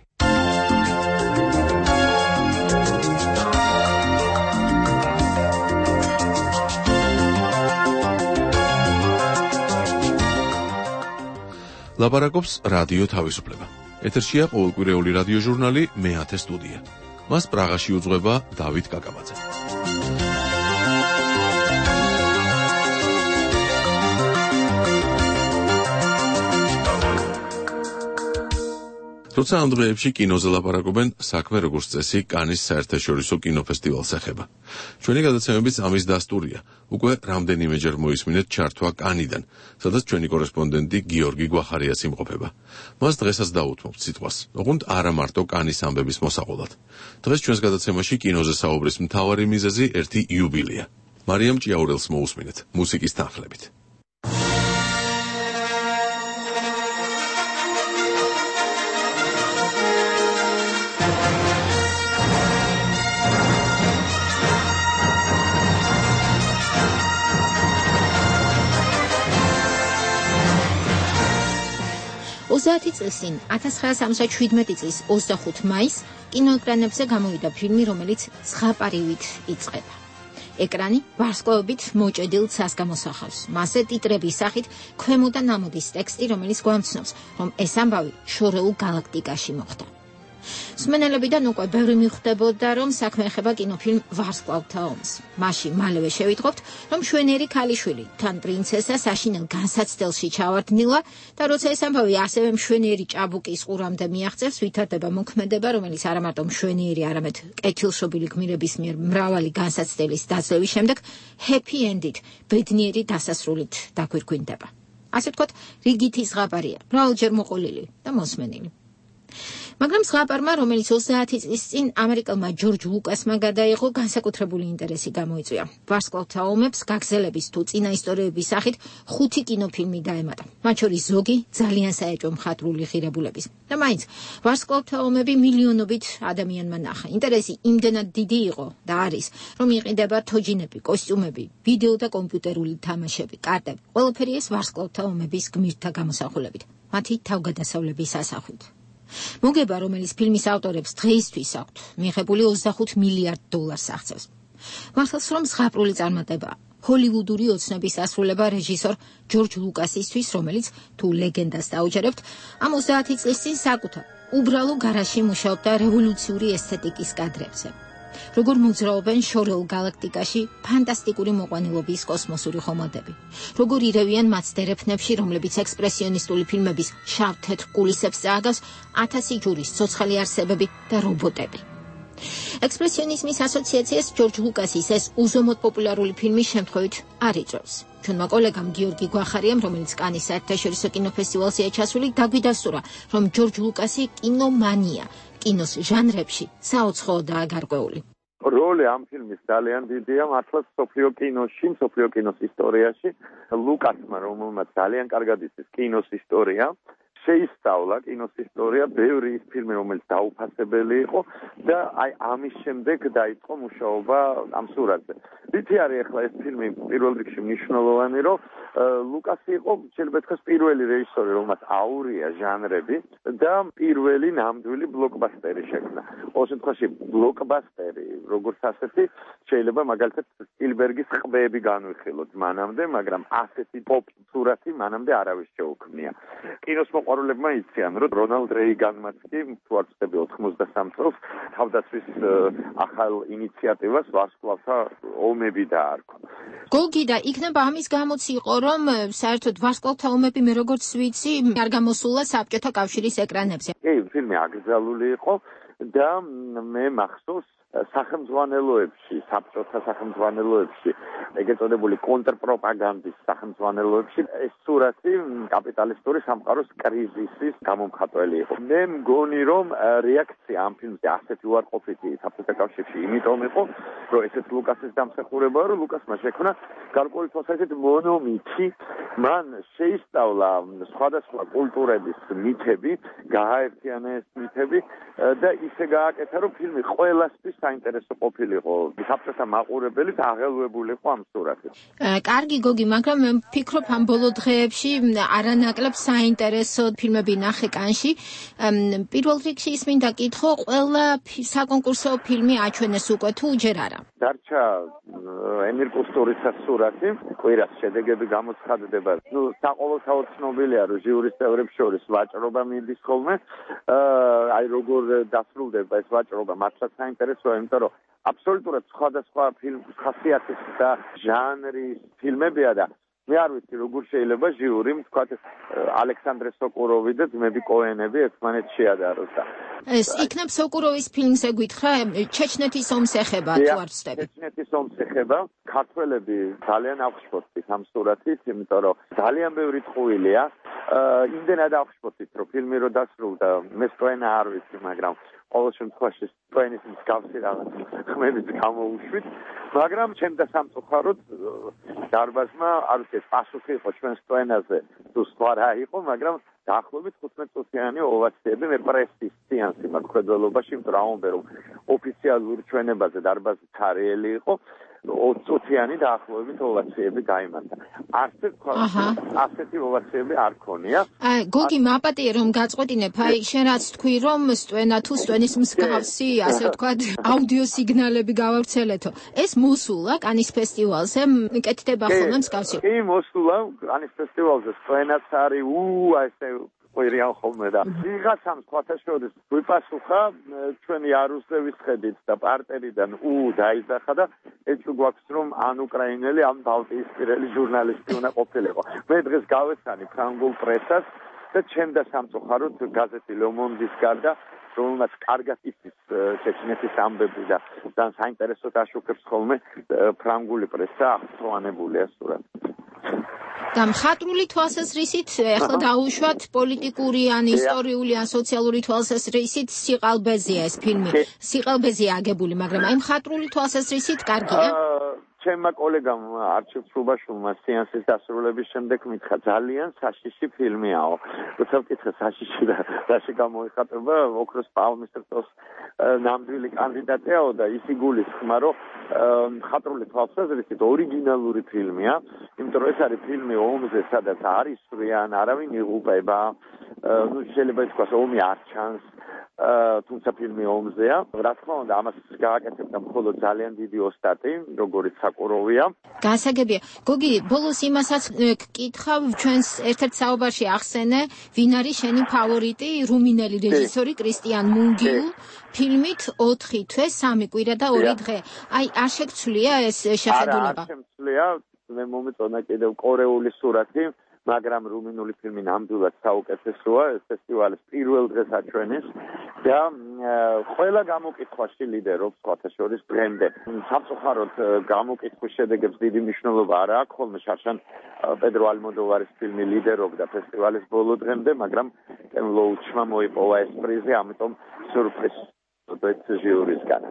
ლაპარაკობს რადიო თავისუფლება. ეთერშია ყოველკვირეული რადიო ჟურნალი მე-10 სტუდია. მას პრაღაში უძღვება დავით კაკაბაძე. თუმცა ამ დღეებში კინოზე ლაპარაკობენ, საქმე როგორც წესი კანის საერთაშორისო კინოფესტივალს ეხება. ჩვენი გადაცემების ამის დასტურია. უკვე რამდენიმეჯერ მოისმინეთ ჩართვა კანიდან, სადაც ჩვენი კორესპონდენტი გიორგი გვახარიას იმყოფება. მას დღესაც დაუთმობთ სიტყვას, ოღონდ არა მარტო კანის ამბების მოსაყოლად. დღეს ჩვენს გადაცემაში კინოზე საუბრის მთავარი მიზეზი ერთი იუბილეა. მარიამ ჭიაურელს მოусმინეთ მუსიკის თანხლებით. წლის წინ 1977 წლის 25 მაისს კინოეკრანებზე გამოვიდა ფილმი, რომელიც ზღაპარივით იწყება. ეკრანი ვარსკვლავებით მოჭედილ ცას გამოსახავს. მასზე ტიტრების სახით ქვემოდან ამოდის ტექსტი, რომელიც გვამცნობს, რომ ეს ამბავი შორეულ გალაქტიკაში მოხდა. მსმენელებიდან უკვე ბევრი მიხვდებოდა, რომ საქმე ეხება კინოფილმ ვარსკვლავთა ომს. მაშინ მალევე შევიტყობთ, რომ შვენიერი ქალიშვილი თან პრინცესა საშინელ განსაცდელში ჩავარდნილა და როცა ეს ამბავი ასევე მშვენიერი ჭაბუკის ყურამდე მიაღწევს, ვითარდება მოქმედება, რომელიც არა მარტო მშვენიერი, არამედ კეთილშობილი გმირების მიერ მრავალი განსაცდელის დაძლევის შემდეგ ჰეპი ენდით, ბედნიერი დასასრულით დაგვირგვინდება. ასე ვთქვათ, რიგითი ზღაპარია, მრავალჯერ მოყოლილი და მოსმენილი. მაგრამ ზღაპარმა, რომელიც 30 წლის წინ ამერიკელმა ჯორჯ ლუკასმა გადაიღო, განსაკუთრებული ინტერესი გამოიწვია. ვარსკვლავთა ომებს გაგზელების თუ წინა ისტორიების სახით 5 კინოფილმი დაემატა. მათ შორის ზოგი ძალიან საეჭვო მხატვრული ღირებულების. და მაინც ვარსკვლავთა ომები მილიონობით ადამიანმა ნახა. ინტერესი იმდენად დიდი იყო და არის, რომ იყიდება თოჯინები, კოსტიუმები, ვიდეო და კომპიუტერული თამაშები, კარტები. ყველაფერი ეს ვარსკვლავთა ომების გმირთა გამოსახულებით, მათი თავგადასავლების ასახვით. მოგება, რომელიც ფილმის ავტორებს დღეისთვის აქვთ მიღებული $25 მილიარდ აღწევს. მართლაც რომ ზღაპრული წარმატებაა. ჰოლივუდური ოცნების ასრულება რეჟისორ ჯორჯ ლუკასისთვის, რომელიც თუ ლეგენდას დაუჯერებთ, ამ 30 წლის წინ საკუთარ უბრალო გარაჟში მუშაობდა რევოლუციური ესთეტიკის კადრებზე. როგორ მოძრაობენ შორეულ გალაქტიკაში ფანტასტიკური მოყვანილობის კოსმოსური ხომალდები. როგორ ირევიან მათ დერეფნებში, რომლებიც ექსპრესიონისტული ფილმების შავ-თეთრ კულისებს წააგავს 1000 ჯურის ცოცხალი არსებები და რობოტები. ექსპრესიონიზმის ასოციაციას ჯორჯ ლუკასის ეს უზომოდ პოპულარული ფილმი შემთხვევით არ იწვევს. ჩვენმა კოლეგამ გიორგი გვახარიამ, რომელიც კანის საერთაშორისო კინოფესტივალზე ჩასული, დაგვიდასტურა, რომ ჯორჯ ლუკასი კინომანია, კინოს ჟანრებში საოცროდაა გარკვეული. როლი ამ ფილმის ძალიან დიდია, მართლაც სოფლიო კინოში, სოფლიო კინოს ისტორიაში. ლუკასმა, რომელმაც ძალიან კარგად იცის კინოს ისტორია, შეისწავლა კინოს ისტორია, ბევრი ის ფილმი, რომელიც დაუფასებელი იყო და აი ამის შემდეგ დაიწყო მუშაობა ამ სურათზე. რითი არის ახლა ეს ფილმი პირველ რიგში მნიშვნელოვანი, რომ ლუკასი იყო შეიძლება ითქვას პირველი რეჟისორი, რომელმაც აურია ჟანრები და პირველი ნამდვილი ბლოკბასტერი შექმნა. ყოველ შემთხვევაში ბლოკბასტერი, როგორც ასეთი, შეიძლება მაგალითად სპილბერგის ყბები განვიხილოთ მანამდე, მაგრამ ასეთი პოპ სურათი მანამდე არავის შეუქმნია. კინოს მოყვარულებმა იციან, რომ რონალდ რეიგანმაც კი თუ არ ვცდები 93 წელს თავდაცვის ახალ ინიციატივას ვარსკვლავთა ომები დაარქვა. გოგი და იქნება ამის გამოც იყო, რომ საერთოდ ვარსკვლავთა ომები მე როგორც ვიცი, არ გამოსულა საბჭოთა კავშირის ეკრანებზე. კი, ფილმი აკრძალული იყო და მე მახსოვს სახელმძღვანელოებში, საბჭოთა სახელმძღვანელოებში, ეგრეთ წოდებული კონტრპროპაგანდის სახელმძღვანელოებში ეს სურათი კაპიტალისტური სამყაროს კრიზისის გამომხატველი იყო. მე მგონი, რომ რეაქცია ამ ფილმზე ასეთი უარყოფითი საბჭოთა კავშირში იმიტომ იყო, რომ ესეც ლუკასის დამსახურებაა, რომ ლუკასმა შექმნა გარკვეული თვალსაზრისით მონომითი, მან შეისწავლა სხვადასხვა კულტურების მითები, გააერთიანა ეს მითები და ისე გააკეთა, რომ ფილმი ყველასთვის საინტერესო ყოფილიყო. საბჭოთა მაყურებელი აღელვებული იყო ამ სურათით. კარგი გოგი, მაგრამ მე ვფიქრობ ამ ბოლო დღეებში არანაკლებ საინტერესო ფილმები ნახე კანში. პირველ რიგში ის მინდა კითხო, ყველა საკონკურსო ფილმი აჩვენეს უკვე თუ ჯერ არა? დარჩა ემირ კუსტურიცას სურათი, კვირას შედეგები გამოცხადდება. საყოველთაოდ ცნობილია, რომ ჟიურის წევრებს შორის ვაჭრობა მიდის ხოლმე. აი როგორ დასრულდება ეს ვაჭრობა, მართლაც საინტერესოა, იმიტომ რომ აბსოლუტურად სხვადასხვა ფილმის ხასიათის და ჟანრის ფილმებია და მე არ ვიცი როგორ შეიძლება ჟიური თქვათ ალექსანდრე სოკუროვი და ძმები კოენები ერთმანეთს შეადაროს და ეს იქნებ სოკუროვის ფილმზე გითხრა ჩეჩნეთის ომს ეხება თუ არ ვცდები ჩეჩნეთის ომს ეხება ქართველები ძალიან აღშფოთით ამ სურათით იმიტომ რომ ძალიან ბევრი ტყუილია იმდენად აღშფოთით რომ ფილმი რო დასრულდა მე სწორედ არ ვიცი მაგრამ ყოველ შემთხვევაში სპენის მსგავსი რაღაც ხმებით გამოუშვით მაგრამ ჩემ და სამწუხაროდ დარბაზმა არ ვიცი პასუხი იყო ჩვენს სპენაზე თუ სხვა რა იყო მაგრამ დაახლოებით 15 წუთიანი ოვაციები მე პრესის სეანსი მაქვს ხედველობაში იმიტომ რომ ამბობენ რომ ოფიციალურ ჩვენებაზე დარბაზი ცარიელი იყო 20 წუთიანი დაახლოებით ოვაციები გაიმართა. ასეთი ოვაციები არ ქონია. გოგი მაპატიე რომ გაწყვეტინებ, აი შენ რაც თქვი რომ სტვენა თუ სტვენის მსგავსი, ასე ვთქვათ, აუდიო სიგნალები გავავრცელეთო. ეს მოსულა კანის ფესტივალზე, მკეთდება ხოლმე მსგავსი. კი, მოსულა კანის ფესტივალზე სტვენაც არის, ესე ყვირიან ხოლმე და ვიღაცამ სხვათა შორის ვიპასუხა ჩვენი არუსლევის ხედით და პარტერიდან დაიძახა და ეჭვი გვაქვს რომ ან უკრაინელი ან ბალტიისპირელი ჟურნალისტი უნდა ყოფილიყო მე დღეს გავესანი ფრანგულ პრესას და ჩემ და სამწუხაროდ გაზეთი Le Monde-ის გარდა რომელმაც კარგად იცის ჩეჩნეთის ამბები და ძალიან საინტერესოდ აშუქებს ხოლმე ფრანგული პრესა აღწვანებულია სურათი და მხატვრული თვალსაზრისით ახლა დაუშვათ პოლიტიკური ან ისტორიული ან სოციალური თვალსაზრისით სიყალბეზეა ეს ფილმი. სიყალბეზეა აგებული, მაგრამ აი მხატვრული თვალსაზრისით კარგია. ჩემმა კოლეგამ არჩილ სუბაშულმა სეანსის დასრულების შემდეგ მითხრა ძალიან საშიში ფილმიაო. როცა ვკითხე საშიში და რაში გამოიხატება ოქროს პალმის რტოს ნამდვილი კანდიდატიაო და ისი გულისხმა რომ მხატვრული თვალსაზრისით ორიგინალური ფილმია, იმიტომ რომ ეს არის ფილმი ომზე, სადაც არ ისვრიან, არავინ იღუპება, შეიძლება ითქვას ომი არ ჩანს. თუმცა ფილმი ომზეა. რა თქმა უნდა, ამას გააკეთებდა მხოლოდ ძალიან დიდი ოსტატი, როგორიც საკუროვია. გასაგებია. გოგი, ბოლოს იმასაც გკითხავ, ჩვენს ერთ-ერთ საუბარში ახსენე, ვინ არის შენი ფავორიტი, რუმინელი რეჟისორი კრისტიან მუნგიუ, ფილმით 4 თვე, 3 კვირა და 2 დღე. აი, არ შეგცვლია ეს შეხედულება? არ შემცვლია, მე მომეწონა კიდევ კორეული სურათი. მაგრამ რუმინული ფილმი ნამდვილად საუკეთესოა, ფესტივალის პირველ დღეს აჩვენეს და ყველა გამოკითხვაში ლიდერობს სხვათა შორის დღემდე. სამწუხაროდ გამოკითხვის შედეგებს დიდი მნიშვნელობა არ აქვს, ხოლმე შარშან პედრო ალმოდოვარის ფილმი ლიდერობდა ფესტივალის ბოლო დღემდე, მაგრამ კენ ლოუჩმა მოიპოვა ეს პრიზი, ამიტომ სიურპრიზი ჟიურისგან.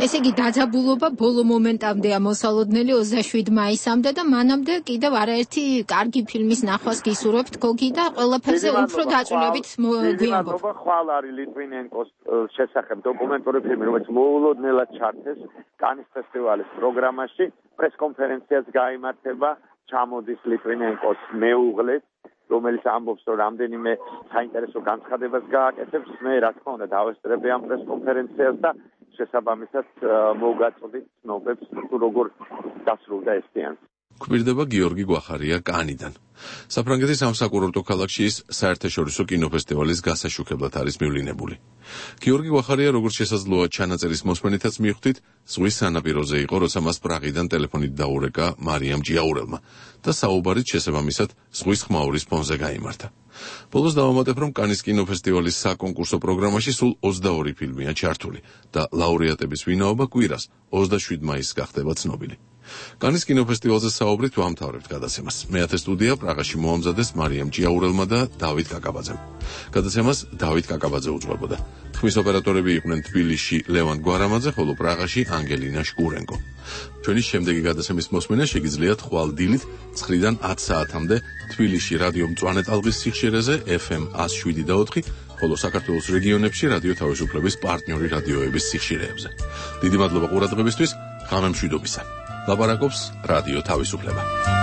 ესე იგი დაძაბულობა ბოლო მომენტამდეა მოსალოდნელი 27 მაისამდე და მანამდე კიდევ არაერთი კარგი ფილმის ნახვას გისურვებთ გოგი და ყველაფერზე უფრო დაწუნებით გვიამბობ. ხვალ არის ლიტვინენკოს შესახებ დოკუმენტური ფილმი, რომელიც მოულოდნელად ჩართეს კანის ფესტივალის პროგრამაში, პრესკონფერენციაც გაიმართება, ჩამოდის ლიტვინენკოს მეუღლეც რომელიც ამბობს რომ რამდენიმე საინტერესო განცხადებას გააკეთებს, მე რა თქმა უნდა დავესწრები ამ პრესკონფერენციას და შესაბამისად მოგაწოდით ცნობებს თუ როგორ დასრულდა ეს სეანსი. გვირდება გიორგი გვახარია კანიდან. საფრანგეთის სამსაკურორტო ქალაქში ის საერთაშორისო კინოფესტივალის გასაშუქებლად არის მივლინებული. გიორგი გვახარია როგორც შესაძლოა ჩანაწერის მოსმენითაც მიხვდით, ზღვის სანაპიროზე იყო, როცა მას პრაღიდან ტელეფონით დაურეკა მარიამ ჯიაურელმა და საუბარით შესაბამისად ზღვის ხმაურის ფონზე გაიმართა. ბოლოს დავამატებ, რომ კანის კინოფესტივალის საკონკურსო პროგრამაში სულ 22 ფილმია ჩართული და ლაურეატების ვინაობა კვირას 27 მაისს გახდება ცნობილი. კანის კინოფესტივალზე საუბრით ვამთავრებთ გადაცემას. მეათე სტუდია პრაღაში მოამზადეს მარიამ ჯიაურელმა და დავით კაკაბაძემ. გადაცემას დავით კაკაბაძე უძღვებოდა. ხმის ოპერატორები იყვნენ თბილისში ლევან გვარამაძე, ხოლო პრაღაში ანგელინა შკურენკო. ჩვენი შემდეგი გადაცემის მოსმენა შეგიძლიათ ხვალ დილით 9-დან 10 საათამდე თბილისში რადიო მწვანე ტალღის სიხშირეზე FM 107.4, ხოლო საქართველოს რეგიონებში რადიო თავისუფლების პარტნიორი რადიოების სიხშირეებზე. დიდი მადლობა ყურადღებისთვის, ღამე მშვიდობისა. ლაპარაკობს რადიო თავისუფლება.